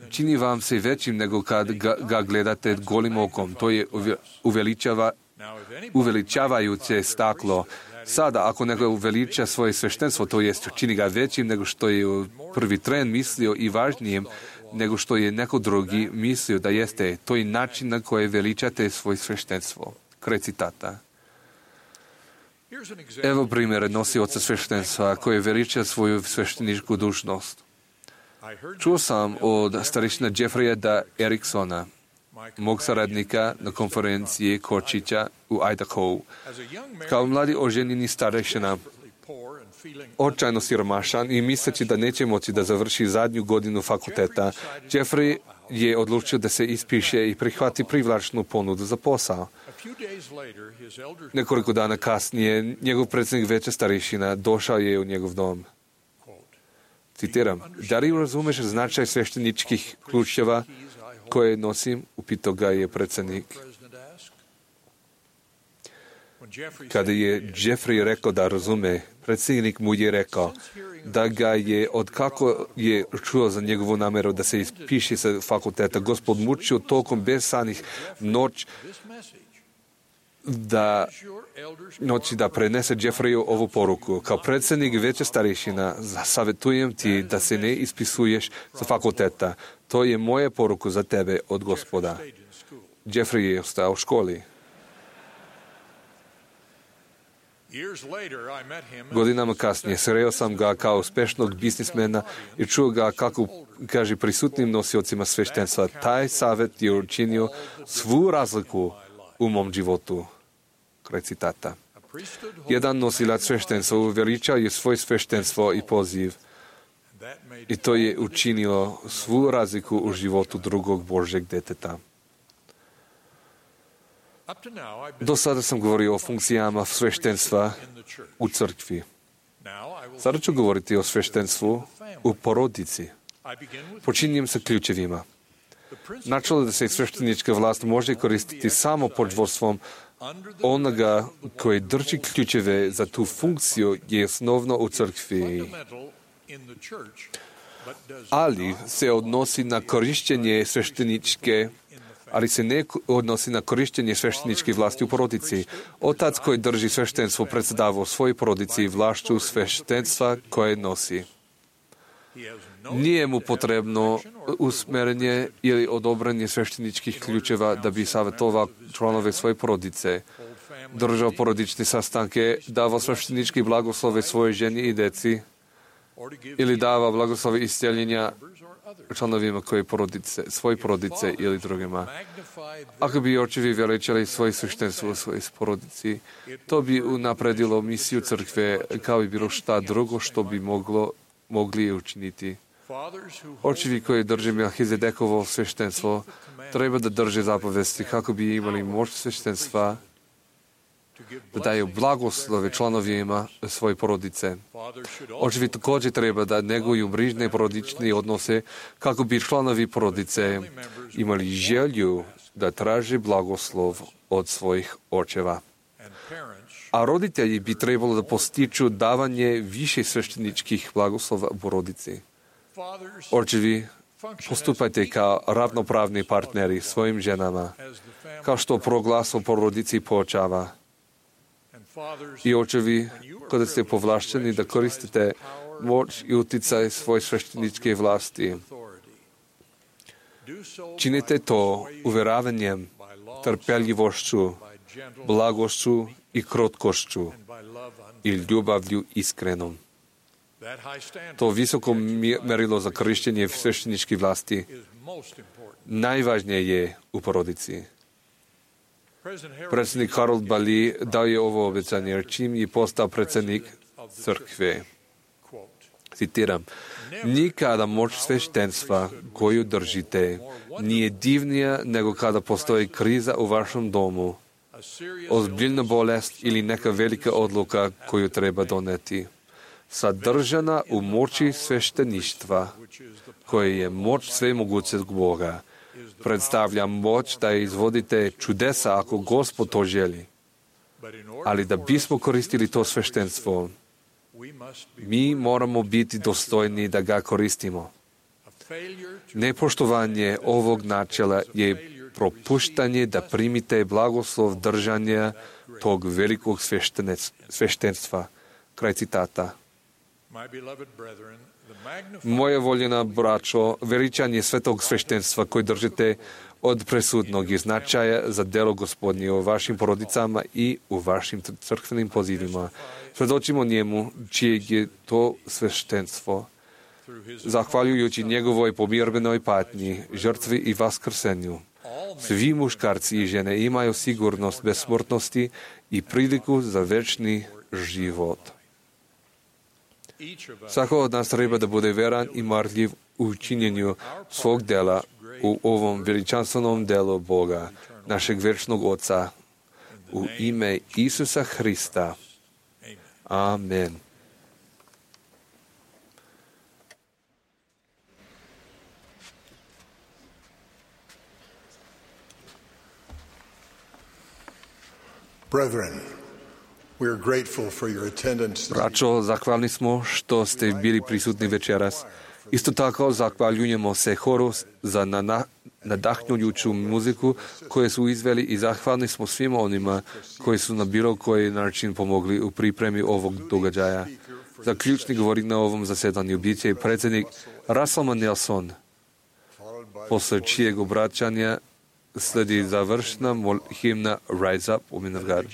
čini vam se većim nego kad ga, ga gledate golim okom. To je uveličava, uveličavajuće staklo. Sada, ako neko uveliča svoje sveštenstvo, to jest čini ga većim nego što je u prvi tren mislio i važnijim nego što je neko drugi mislio da jeste. To je način na koji veličate svoje sveštenstvo. Kraj citata. Evo primjer nosioca sveštenstva koji veliča svoju svešteničku dužnost. Čuo sam od starešina Jeffreya da Eriksona, mog saradnika na konferenciji Kočića u Idaho. Kao mladi oženjeni starešina, očajno siromašan i misleći da neće moći da završi zadnju godinu fakulteta, Jeffrey je odlučio da se ispiše i prihvati privlačnu ponudu za posao. Nekoliko dana kasnije, njegov predsjednik veća starešina došao je u njegov dom. Citiram, da li razumeš značaj svešteničkih ključeva koje nosim? Upitao ga je predsjednik. Kada je Jeffrey rekao da razume, predsjednik mu je rekao da ga je, od kako je čuo za njegovu namjeru da se ispiše sa fakulteta, Gospod mučio tokom besanih noć da noći da prenese Jeffreyu ovu poruku. Kao predsjednik veće starešina, savjetujem ti da se ne ispisuješ sa fakulteta. To je moja poruka za tebe od Gospoda. Jeffrey je ostao u školi. Godinama kasnije sreo sam ga kao uspešnog biznismena i čuo ga kako kaže prisutnim nosiocima sveštenstva. Taj savjet je učinio svu razliku u mom životu. Kraj citata. Jedan nosilac sveštenstva uveličao je svoj sveštenstvo i poziv i to je učinilo svu razliku u životu drugog Božjeg deteta. Do sada sam govorio o funkcijama sveštenstva u crkvi. Sada ću govoriti o sveštenstvu u porodici. Počinjem sa ključevima. Načelo da se sveštenička vlast može koristiti samo pod vodstvom onoga koji drži ključeve za tu funkciju je osnovno u crkvi, ali se odnosi na korištenje svešteničke ali se ne odnosi na korištenje svešteničke vlasti u porodici. Otac koji drži sveštenstvo predsjedava u svojoj porodici vlašću sveštenstva koje nosi. Nije mu potrebno usmerenje ili odobranje svešteničkih ključeva da bi savjetovao članove svoje porodice, držao porodične sastanke, davao sveštenički blagoslove svoje ženi i deci ili dava blagoslove isceljenja članovima koje porodice, svoje porodice ili drugima. Ako bi očevi veličali svoje sveštenstvo u svojoj porodici, to bi unapredilo misiju crkve kao i bilo šta drugo što bi moglo, mogli učiniti. Očevi koji drže Melhizedekovo sveštenstvo treba da drže zapovesti kako bi imali moć sveštenstva da daju blagoslove članovima svoje porodice. Očevi također treba da neguju brižne porodične odnose kako bi članovi porodice imali želju da traže blagoslov od svojih očeva. A roditelji bi trebalo da postiču davanje više svešteničkih blagoslova u porodici. Očevi, postupajte kao ravnopravni partneri svojim ženama, kao što proglas o porodici počava. I očevi, kada ste povlašćeni da koristite moć i uticaj svoje svešteničke vlasti, činite to uvjeravanjem, trpeljivošću, blagošću i krotkošću i ljubavlju iskrenom. To visoko merilo za korištenje svešteničke vlasti najvažnije je u porodici. Predsjednik Harold Bali dao je ovo obećanje, jer čim je postao predsjednik crkve. Citiram, nikada moć sveštenstva koju držite nije divnija nego kada postoji kriza u vašem domu, ozbiljna bolest ili neka velika odluka koju treba doneti. Sadržana u moći svešteništva, koje je moć svemogućeg Boga, predstavlja moć da izvodite čudesa ako Gospod to želi. Ali da bismo koristili to sveštenstvo, mi moramo biti dostojni da ga koristimo. Nepoštovanje ovog načela je propuštanje da primite blagoslov držanja tog velikog sveštenstva. Kraj citata. Moja voljena braćo, veličanje svetog sveštenstva koje držite od presudnog je značaja za delo Gospodnje u vašim porodicama i u vašim crkvenim pozivima. Svedočimo njemu, čijeg je to sveštenstvo. Zahvaljujući njegovoj pomirbenoj patnji, žrtvi i vaskrsenju, svi muškarci i žene imaju sigurnost besmrtnosti i priliku za večni život. Svako od nas treba da bude veran i marljiv u činjenju svog dela u ovom veličanstvenom delu Boga, našeg večnog Oca, u ime Isusa Hrista. Amen. Brethren, we are grateful for your attendance. Braćo, zahvalni smo što ste bili prisutni večeras. Isto tako zahvaljujemo se horu za nadahnjujuću muziku koju su izveli i zahvalni smo svima onima koji su na bilo koji način pomogli u pripremi ovog događaja. Za ključni govornik na ovom zasedanju bit će predsjednik Russell Nelson, posle čijeg obraćanja sledi završna himna Rise Up, Women of God.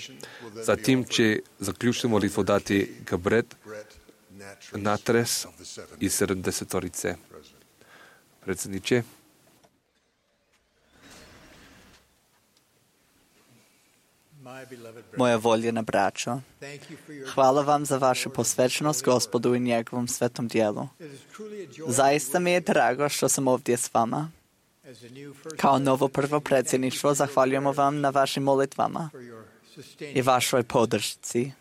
Zatim će zaključnu molitvu dati Gabret Natres iz sedamdesetorice. Predsjedniče. Moja voljena braćo, hvala vam za vašu posvećenost Gospodu i njegovom svetom dijelu. Zaista mi je drago što sam ovdje s vama. Kao novo prvo predsjedništvo zahvaljujemo vam na vašim molitvama i vašoj podršci.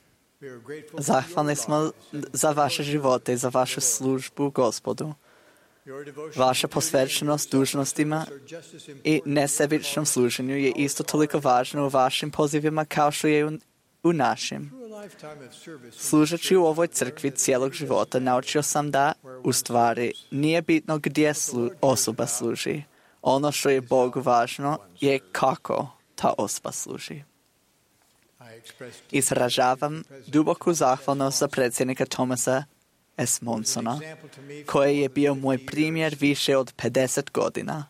Zahvalni smo za vaše živote i za vašu službu Gospodu. Vaša posvećenost dužnostima i nesebičnom služenju je isto toliko važna u vašim pozivima kao što je u, u našim. Služeći u ovoj crkvi cijelog života naučio sam da, u stvari, nije bitno gdje slu, osoba služi. Ono što je Bogu važno je kako ta osoba služi. Izražavam duboku zahvalnost za predsjednika Thomasa S. Monsona, koji je bio moj primjer više od pedeset godina.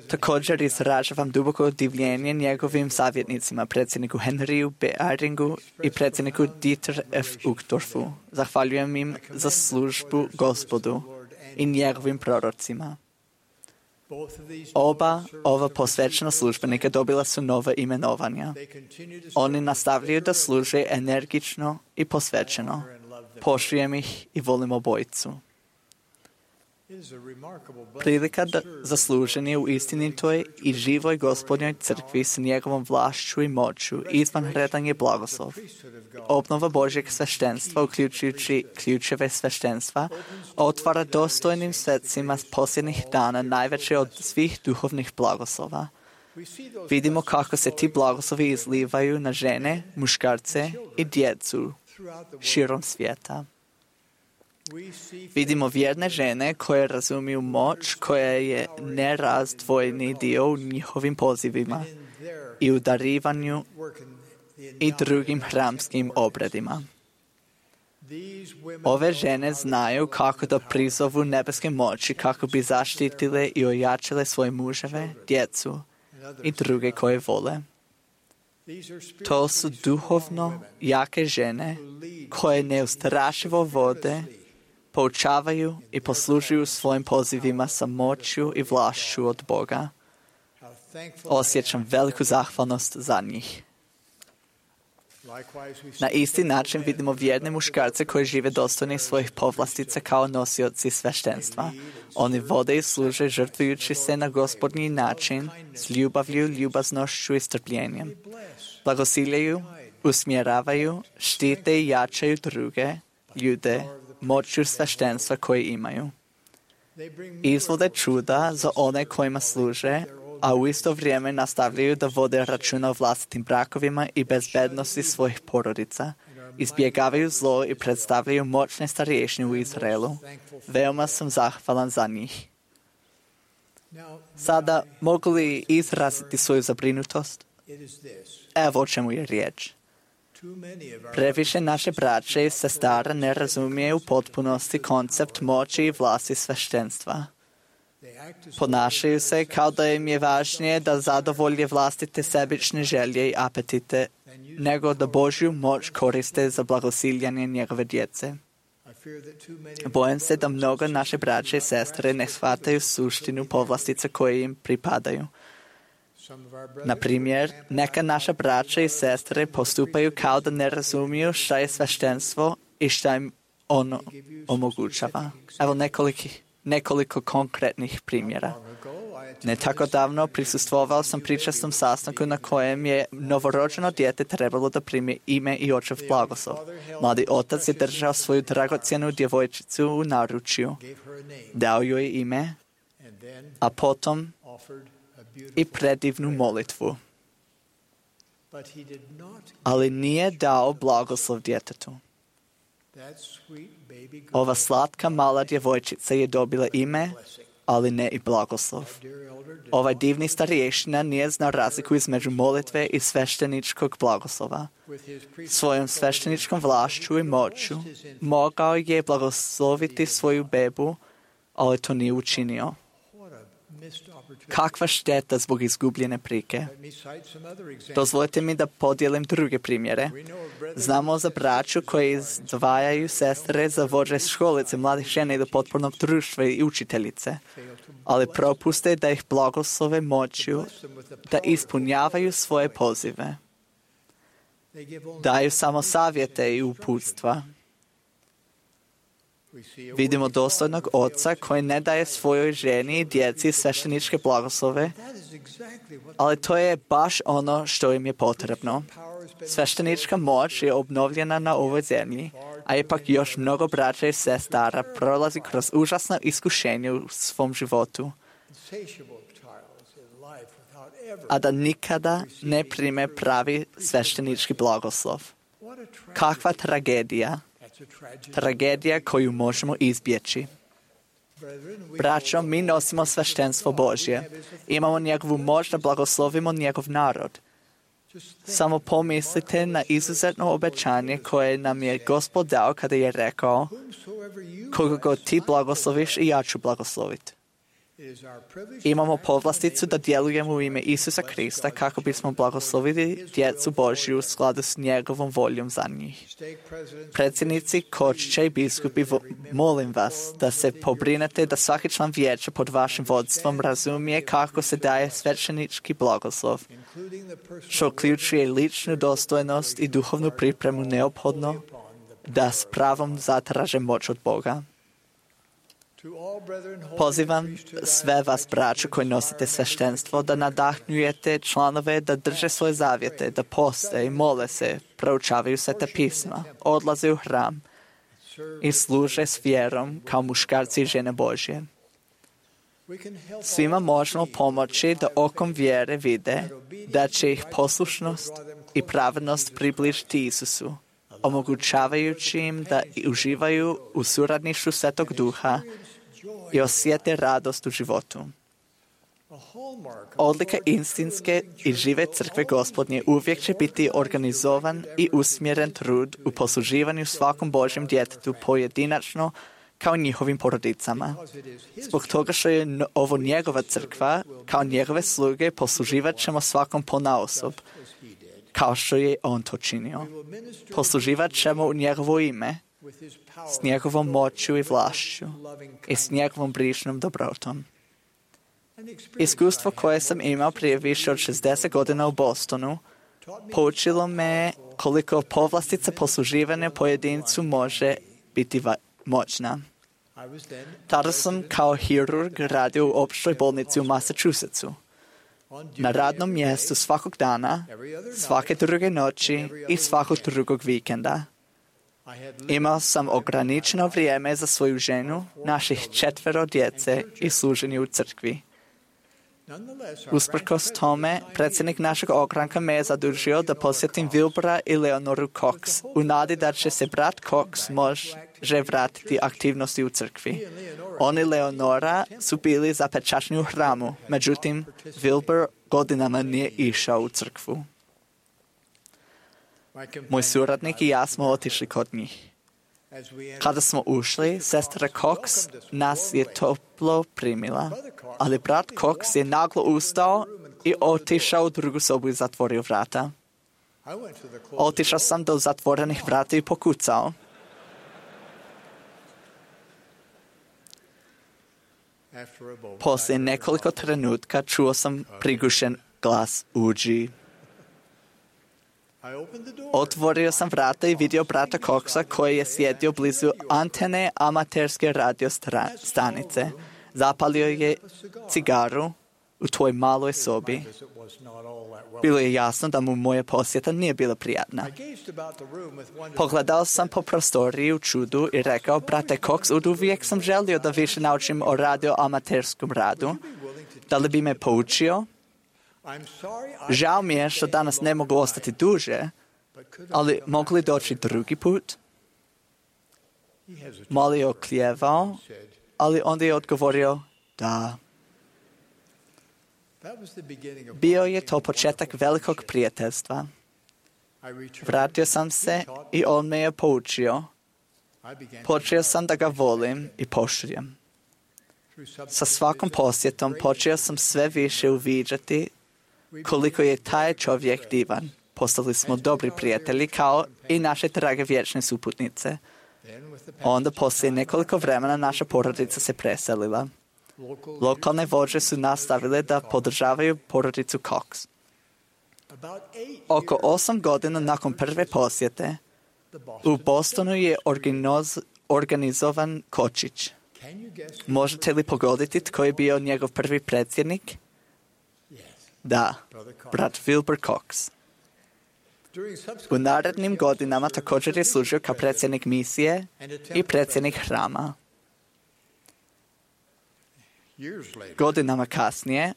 Također izražavam duboko divljenje njegovim savjetnicima, predsjedniku Henryu B. Eyringu i predsjedniku Dieter F. Uchtdorfu. Zahvaljujem im za službu Gospodu i njegovim prorocima. Oba ova posvećena službenika dobila su nova imenovanja. Oni nastavljaju da služe energično i posvećeno. Poštujem ih i volim obojicu. Prilika da za služenje u istinitoj i živoj Gospodnjoj crkvi s njegovom vlašću i moću izvanredan je blagoslov. Obnova Božjeg sveštenstva, uključujući ključeve sveštenstva, otvara dostojnim svecima posljednjih dana najveće od svih duhovnih blagoslova. Vidimo kako se ti blagoslovi izlivaju na žene, muškarce i djecu širom svijeta. Vidimo vjerne žene koje razumiju moć koja je nerazdvojni dio u njihovim pozivima i u darivanju i drugim hramskim obredima. Ove žene znaju kako da prizovu nebeske moći kako bi zaštitile i ojačile svoje muževe, djecu i druge koje vole. To su duhovno jake žene koje neustrašivo vode, poučavaju i poslužuju svojim pozivima sa moću i vlašću od Boga. Osjećam veliku zahvalnost za njih. Na isti način vidimo vjerne muškarce koji žive dostojni svojih povlastica kao nosioci sveštenstva. Oni vode i služe žrtvujući se na Gospodnji način s ljubavlju, ljubaznošću i strpljenjem. Blagosiljaju, usmjeravaju, štite i jačaju druge ljude moću sveštenstva koje imaju. Izvode čuda za one kojima služe, a u isto vrijeme nastavljaju da vode računa o vlastitim brakovima i bezbednosti svojih porodica. Izbjegavaju zlo i predstavljaju moćne starješine u Izraelu. Veoma sam zahvalan za njih. Sada mogu li izraziti svoju zabrinutost? Evo o čemu je riječ. Previše naše braće i sestara ne razumije u potpunosti koncept moći i vlasti sveštenstva. Ponašaju se kao da im je važnije da zadovolje vlastite sebične želje i apetite, nego da Božju moć koriste za blagosiljanje njegove djece. Bojim se da mnogo naše braće i sestre ne shvataju suštinu povlastica koje im pripadaju. Na primjer, neka naša braća i sestre postupaju kao da ne razumiju šta je sveštenstvo i šta im ono omogućava. Evo nekoliko, nekoliko konkretnih primjera. Ne tako davno prisustvovao sam pričastom sastanku na kojem je novorođeno dijete trebalo da primi ime i očev blagoslov. Mladi otac je držao svoju dragocjenu djevojčicu u naručju, dao joj ime, a potom i predivnu molitvu. Ali nije dao blagoslov djetetu. Ova slatka mala djevojčica je dobila ime, ali ne i blagoslov. Ovaj divni starješina nije znao razliku između molitve i svešteničkog blagoslova. Svojom svešteničkom vlašću i moću mogao je blagosloviti svoju bebu, ali to nije učinio. Kakva šteta zbog izgubljene prike. Dozvolite mi da podijelim druge primjere. Znamo za braću koji izdvajaju sestre za vođe školice mladih žena i do potpornog društva i učiteljice, ali propuste da ih blagoslove moću da ispunjavaju svoje pozive. Daju samo savjete i uputstva. Vidimo dostojnog oca koji ne daje svojoj ženi i djeci svešteničke blagoslove, ali to je baš ono što im je potrebno. Sveštenička moć je obnovljena na ovoj zemlji, a ipak još mnogo braća i sestara prolazi kroz užasno iskušenje u svom životu, a da nikada ne prime pravi sveštenički blagoslov. Kakva tragedija! Tragedija koju možemo izbjeći. Braćo, mi nosimo sveštenstvo Božje. Imamo njegovu moć da blagoslovimo njegov narod. Samo pomislite na izuzetno obećanje koje nam je Gospod dao kada je rekao: koga god ti blagosloviš i ja ću blagosloviti. Imamo povlasticu da djelujemo u ime Isusa Krista kako bismo blagoslovili djecu Božju u skladu s njegovom voljom za njih. Predsjednici, kočiće i biskupi, molim vas da se pobrinete da svaki član vijeća pod vašim vodstvom razumije kako se daje sveštenički blagoslov, što uključuje ličnu dostojnost i duhovnu pripremu neophodno da s pravom zatraže moć od Boga. Pozivam sve vas, braćo, koji nosite sveštenstvo, da nadahnjujete članove da drže svoje zavjete, da poste i mole se, proučavaju sveta pisma, odlaze u hram i služe s vjerom kao muškarci i žene Božje. Svima možemo pomoći da okom vjere vide da će ih poslušnost i pravednost približiti Isusu, omogućavajući im da uživaju u suradništvu Svetog Duha i osjete radost u životu. Odlika istinske i žive crkve Gospodnje uvijek će biti organizovan i usmjeren trud u posluživanju svakom Božjem djetetu pojedinačno kao njihovim porodicama. Zbog toga što je ovo njegova crkva, kao njegove sluge posluživat ćemo svakom ponaosob, kao što je on to činio. Posluživat ćemo u njegovo ime, s njegovom moću i vlašću i s njegovom brižnom dobrotom. Iskustvo koje sam imao prije više od šezdeset godina u Bostonu poučilo me koliko povlastica posluživanja pojedincu može biti va- moćna. Tada sam kao hirurg radio u opštoj bolnici u Massachusettsu. Na radnom mjestu svakog dana, svake druge noći i svakog drugog vikenda. Imao sam ograničeno vrijeme za svoju ženu, naših četvero djece i služenje u crkvi. Usprkos tome, predsjednik našeg ogranka me je zadužio da posjetim Wilbura i Leonoru Cox, u nadi da će se brat Cox može vratiti aktivnosti u crkvi. On i Leonora su bili zapečačeni u hramu, međutim, Wilbur godinama nije išao u crkvu. Moj suradnik i ja smo otišli kod njih. Kada smo ušli, sestra Cox nas je toplo primila, ali brat Cox je naglo ustao i otišao u drugu sobu i zatvorio vrata. Otišao sam do zatvorenih vrata i pokucao. Poslije nekoliko trenutka čuo sam prigušen glas: uđi. Otvorio sam vrata i vidio brata Coxa koji je sjedio blizu antene amaterske radio stanice. Zapalio je cigaru u toj maloj sobi. Bilo je jasno da mu moja posjeta nije bila prijatna. Pogledao sam po prostoriji u čudu i rekao: brate Cox, od uvijek sam želio da više naučim o radio amaterskom radu. Da li bi me poučio? Žao mi je što danas ne mogu ostati duže, ali mogu li doći drugi put? Malo je oklijevao, ali onda je odgovorio da. Bio je to početak velikog prijateljstva. Vratio sam se i on me je poučio. Počeo sam da ga volim i poštujem. Sa svakom posjetom počeo sam sve više uviđati koliko je taj čovjek divan. Postali smo dobri prijatelji kao i naše drage vječne suputnice. Onda poslije nekoliko vremena naša porodica se preselila. Lokalne vođe su nastavile da podržavaju porodicu Cox. Oko osam godina nakon prve posjete, u Bostonu je organiz, organizovan kočić. Možete li pogoditi tko je bio njegov prvi predsjednik? Da, brat Wilbur Cox. U narednim godinama također je služio kao predsjednik misije i predsjednik hrama. Godinama kasnije,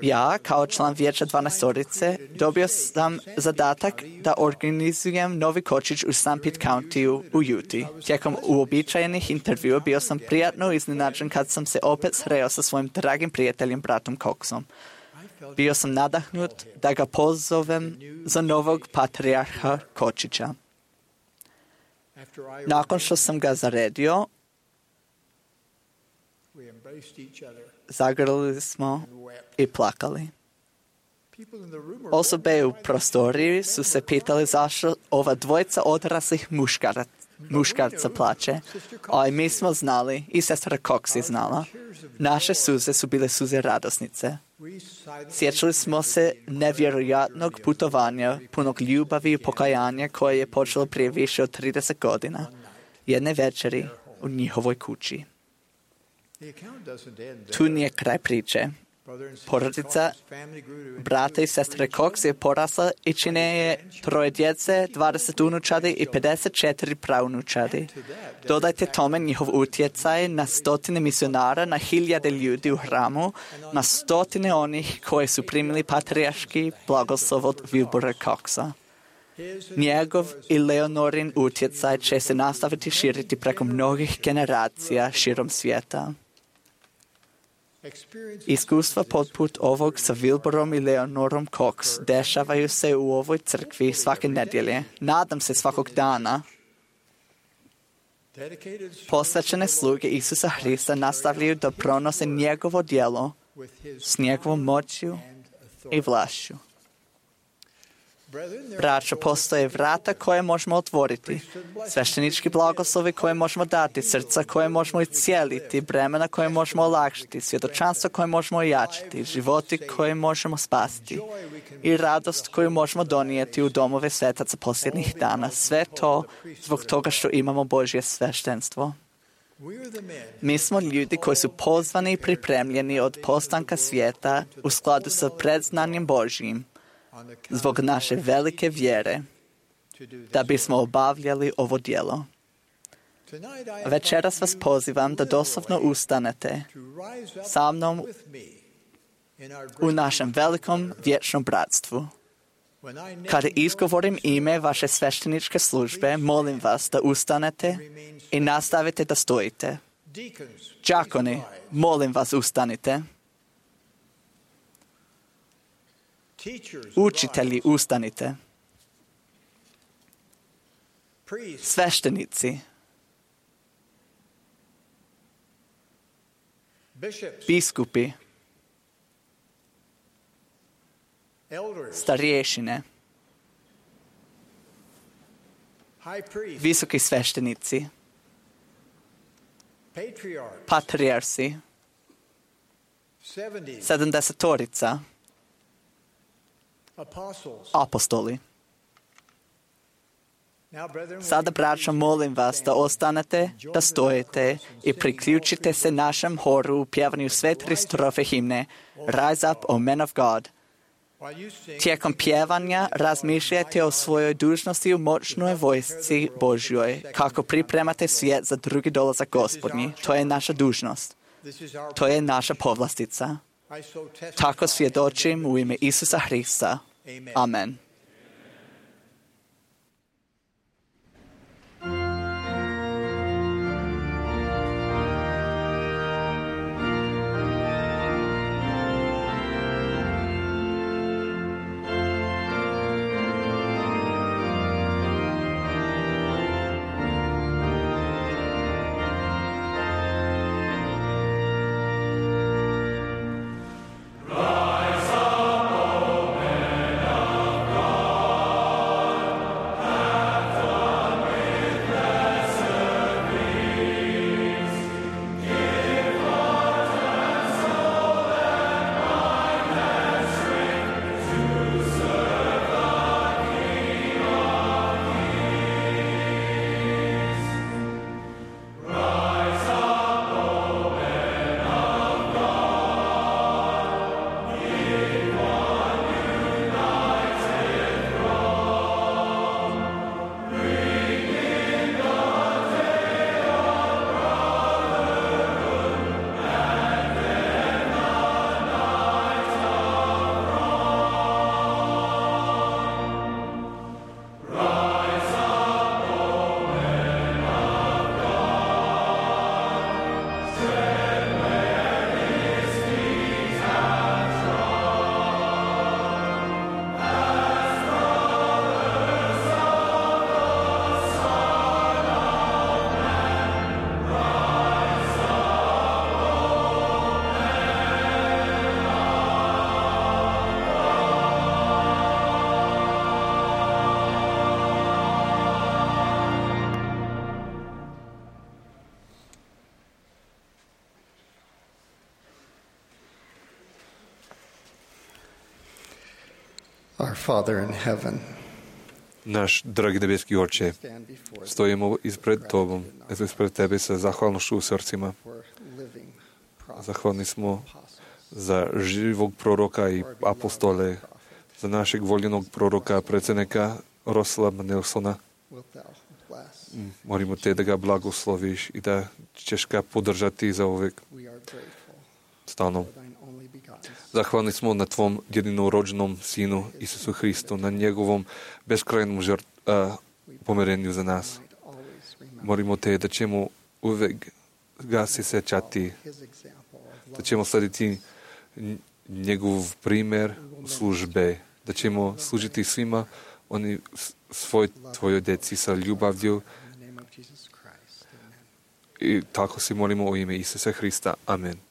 ja, kao član vijeća dvanaestorice, dobio sam zadatak da organizujem novi kočić u Saint Pete Countyu u Utah. Tijekom uobičajenih intervjua bio sam prijatno iznenađen kad sam se opet sreo sa svojim dragim prijateljem bratom Coxom. Bio sam nadahnut da ga pozovem za novog patrijarha kočića. Nakon što sam ga zaredio, zagrlili smo i plakali. Osobe u prostoriji su se pitali zašto ova dvojica odraslih muškara, muškarca plače, a i mi smo znali, i sestra Cox je znala. Naše suze su bile suze radosnice. Sjećali smo se nevjerojatnog putovanja, punog ljubavi i pokajanja koje je počelo prije više od trideset godina, jedne večeri u njihovoj kući. Tu nije kraj priče. Porodica brata i sestre Cox je porasla i čine je troje djece, dvadeset unučadi i pedeset četiri praunučadi. Dodajte tome njihov utjecaj na stotine misionara, na hiljade ljudi u hramu, na stotine onih koji su primili patrijarški blagoslov od Wilbura Coxa. Njegov i Leonorin utjecaj će se nastaviti širiti preko mnogih generacija širom svijeta. Iskustva poput ovog sa Wilburom i Leonorom Cox dešavaju se u ovoj crkvi svake nedjelje. Nadam se svakog dana. Posvećene sluge Isusa Hrista nastavljaju da pronose njegovo djelo s njegovom moćju i vlašću. Braćo, postoje vrata koje možemo otvoriti, sveštenički blagoslovi koje možemo dati, srca koje možemo iscijeliti, bremena koje možemo olakšati, svjedočanstvo koje možemo ojačati, životi koje možemo spasiti i radost koju možemo donijeti u domove svetaca posljednjih dana. Sve to zbog toga što imamo Božje sveštenstvo. Mi smo ljudi koji su pozvani i pripremljeni od postanka svijeta u skladu sa predznanjem Božjim, zbog naše velike vjere, da bismo obavljali ovo djelo. Večeras vas pozivam da doslovno ustanete sa mnom u našem velikom vječnom bratstvu. Kada izgovorim ime vaše svešteničke službe, molim vas da ustanete i nastavite da stojite. Đakoni, molim vas ustanite. Učitelji, ustanite. Sveštenici, biskupi, starješine, visoki sveštenici, patrijarsi, sedamdesetorica, apostoli. Sada, braćo, molim vas da ostanete, da stojite i priključite se našem horu u pjevanju sve tri strofe himne Rise Up, O Men of God. Tijekom pjevanja razmišljajte o svojoj dužnosti u moćnoj vojsci Božjoj, kako pripremate svijet za drugi dolazak Gospodnji. To je naša dužnost. To je naša povlastica. Tako svjedočim u ime Isusa Hrista. Amen. Our Father in heaven, Naš dragi nebeski Oče, stojimo ispred Tobom, eto ispred Tebe sa zahvalnošću u srcima. Zahvalni smo za živog proroka i apostole, za našeg voljenog proroka, predsjednika Roslama Nelsona. Molimo Te da ga blagosloviš i da ćeš ga podržati za uvijek stalno. Zahvalni smo na Tvom jedinorođenom Sinu Isusu Hristu, na njegovom beskrajnom žrt, a, pomirenju za nas. Molimo Te da ćemo uvijek ga se sjećati da ćemo slediti njegov primjer u službe, da ćemo služiti svima oni svoj, tvojoj deci sa ljubavlju. I tako se molimo u ime Isusa Hrista. Amen.